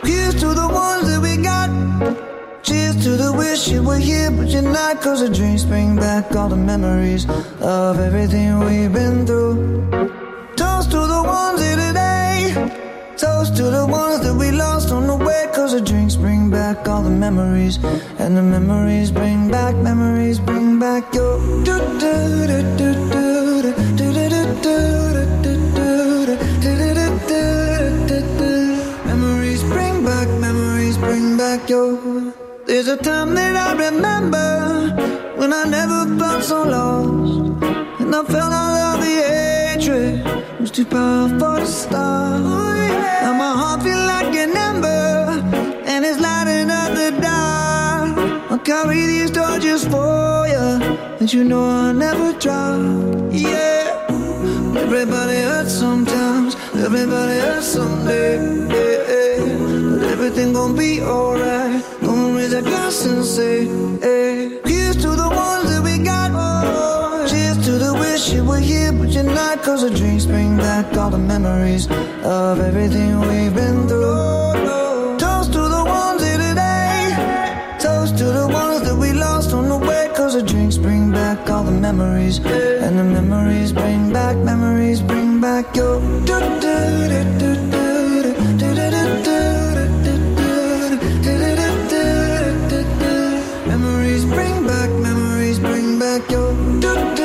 Here's to the ones that we got. Cheers to the wish you were here, but you're not. Cause the drinks bring back all the memories of everything we've been through. Toast to the ones here today. Toast to the ones that we lost on the way. Cause the drinks bring back all the memories. And the memories bring back, memories bring back your do do do do do do do do do do. Memories bring back, memories bring back your. There's a time that I remember when I never felt so lost, and I felt all of the hatred was too powerful to stop. Now my heart feel like an ember, and it's lighting up the dark. I'll carry these torches for you, and you know I'll never drop. Yeah, everybody hurts sometimes, everybody hurts someday. Yeah, yeah. But everything gon' be alright. Gonna raise a glass and say, hey. Here's to the ones that we got. Oh, cheers to the wish you were here, but you're not. Cause the drinks bring back all the memories of everything we've been through. Toast to the ones here today. Toast to the ones that we lost on the way. Cause the drinks bring back all the memories. And the memories bring back, memories bring back your do do do do do do do do do. Memories bring back, memories bring back your do do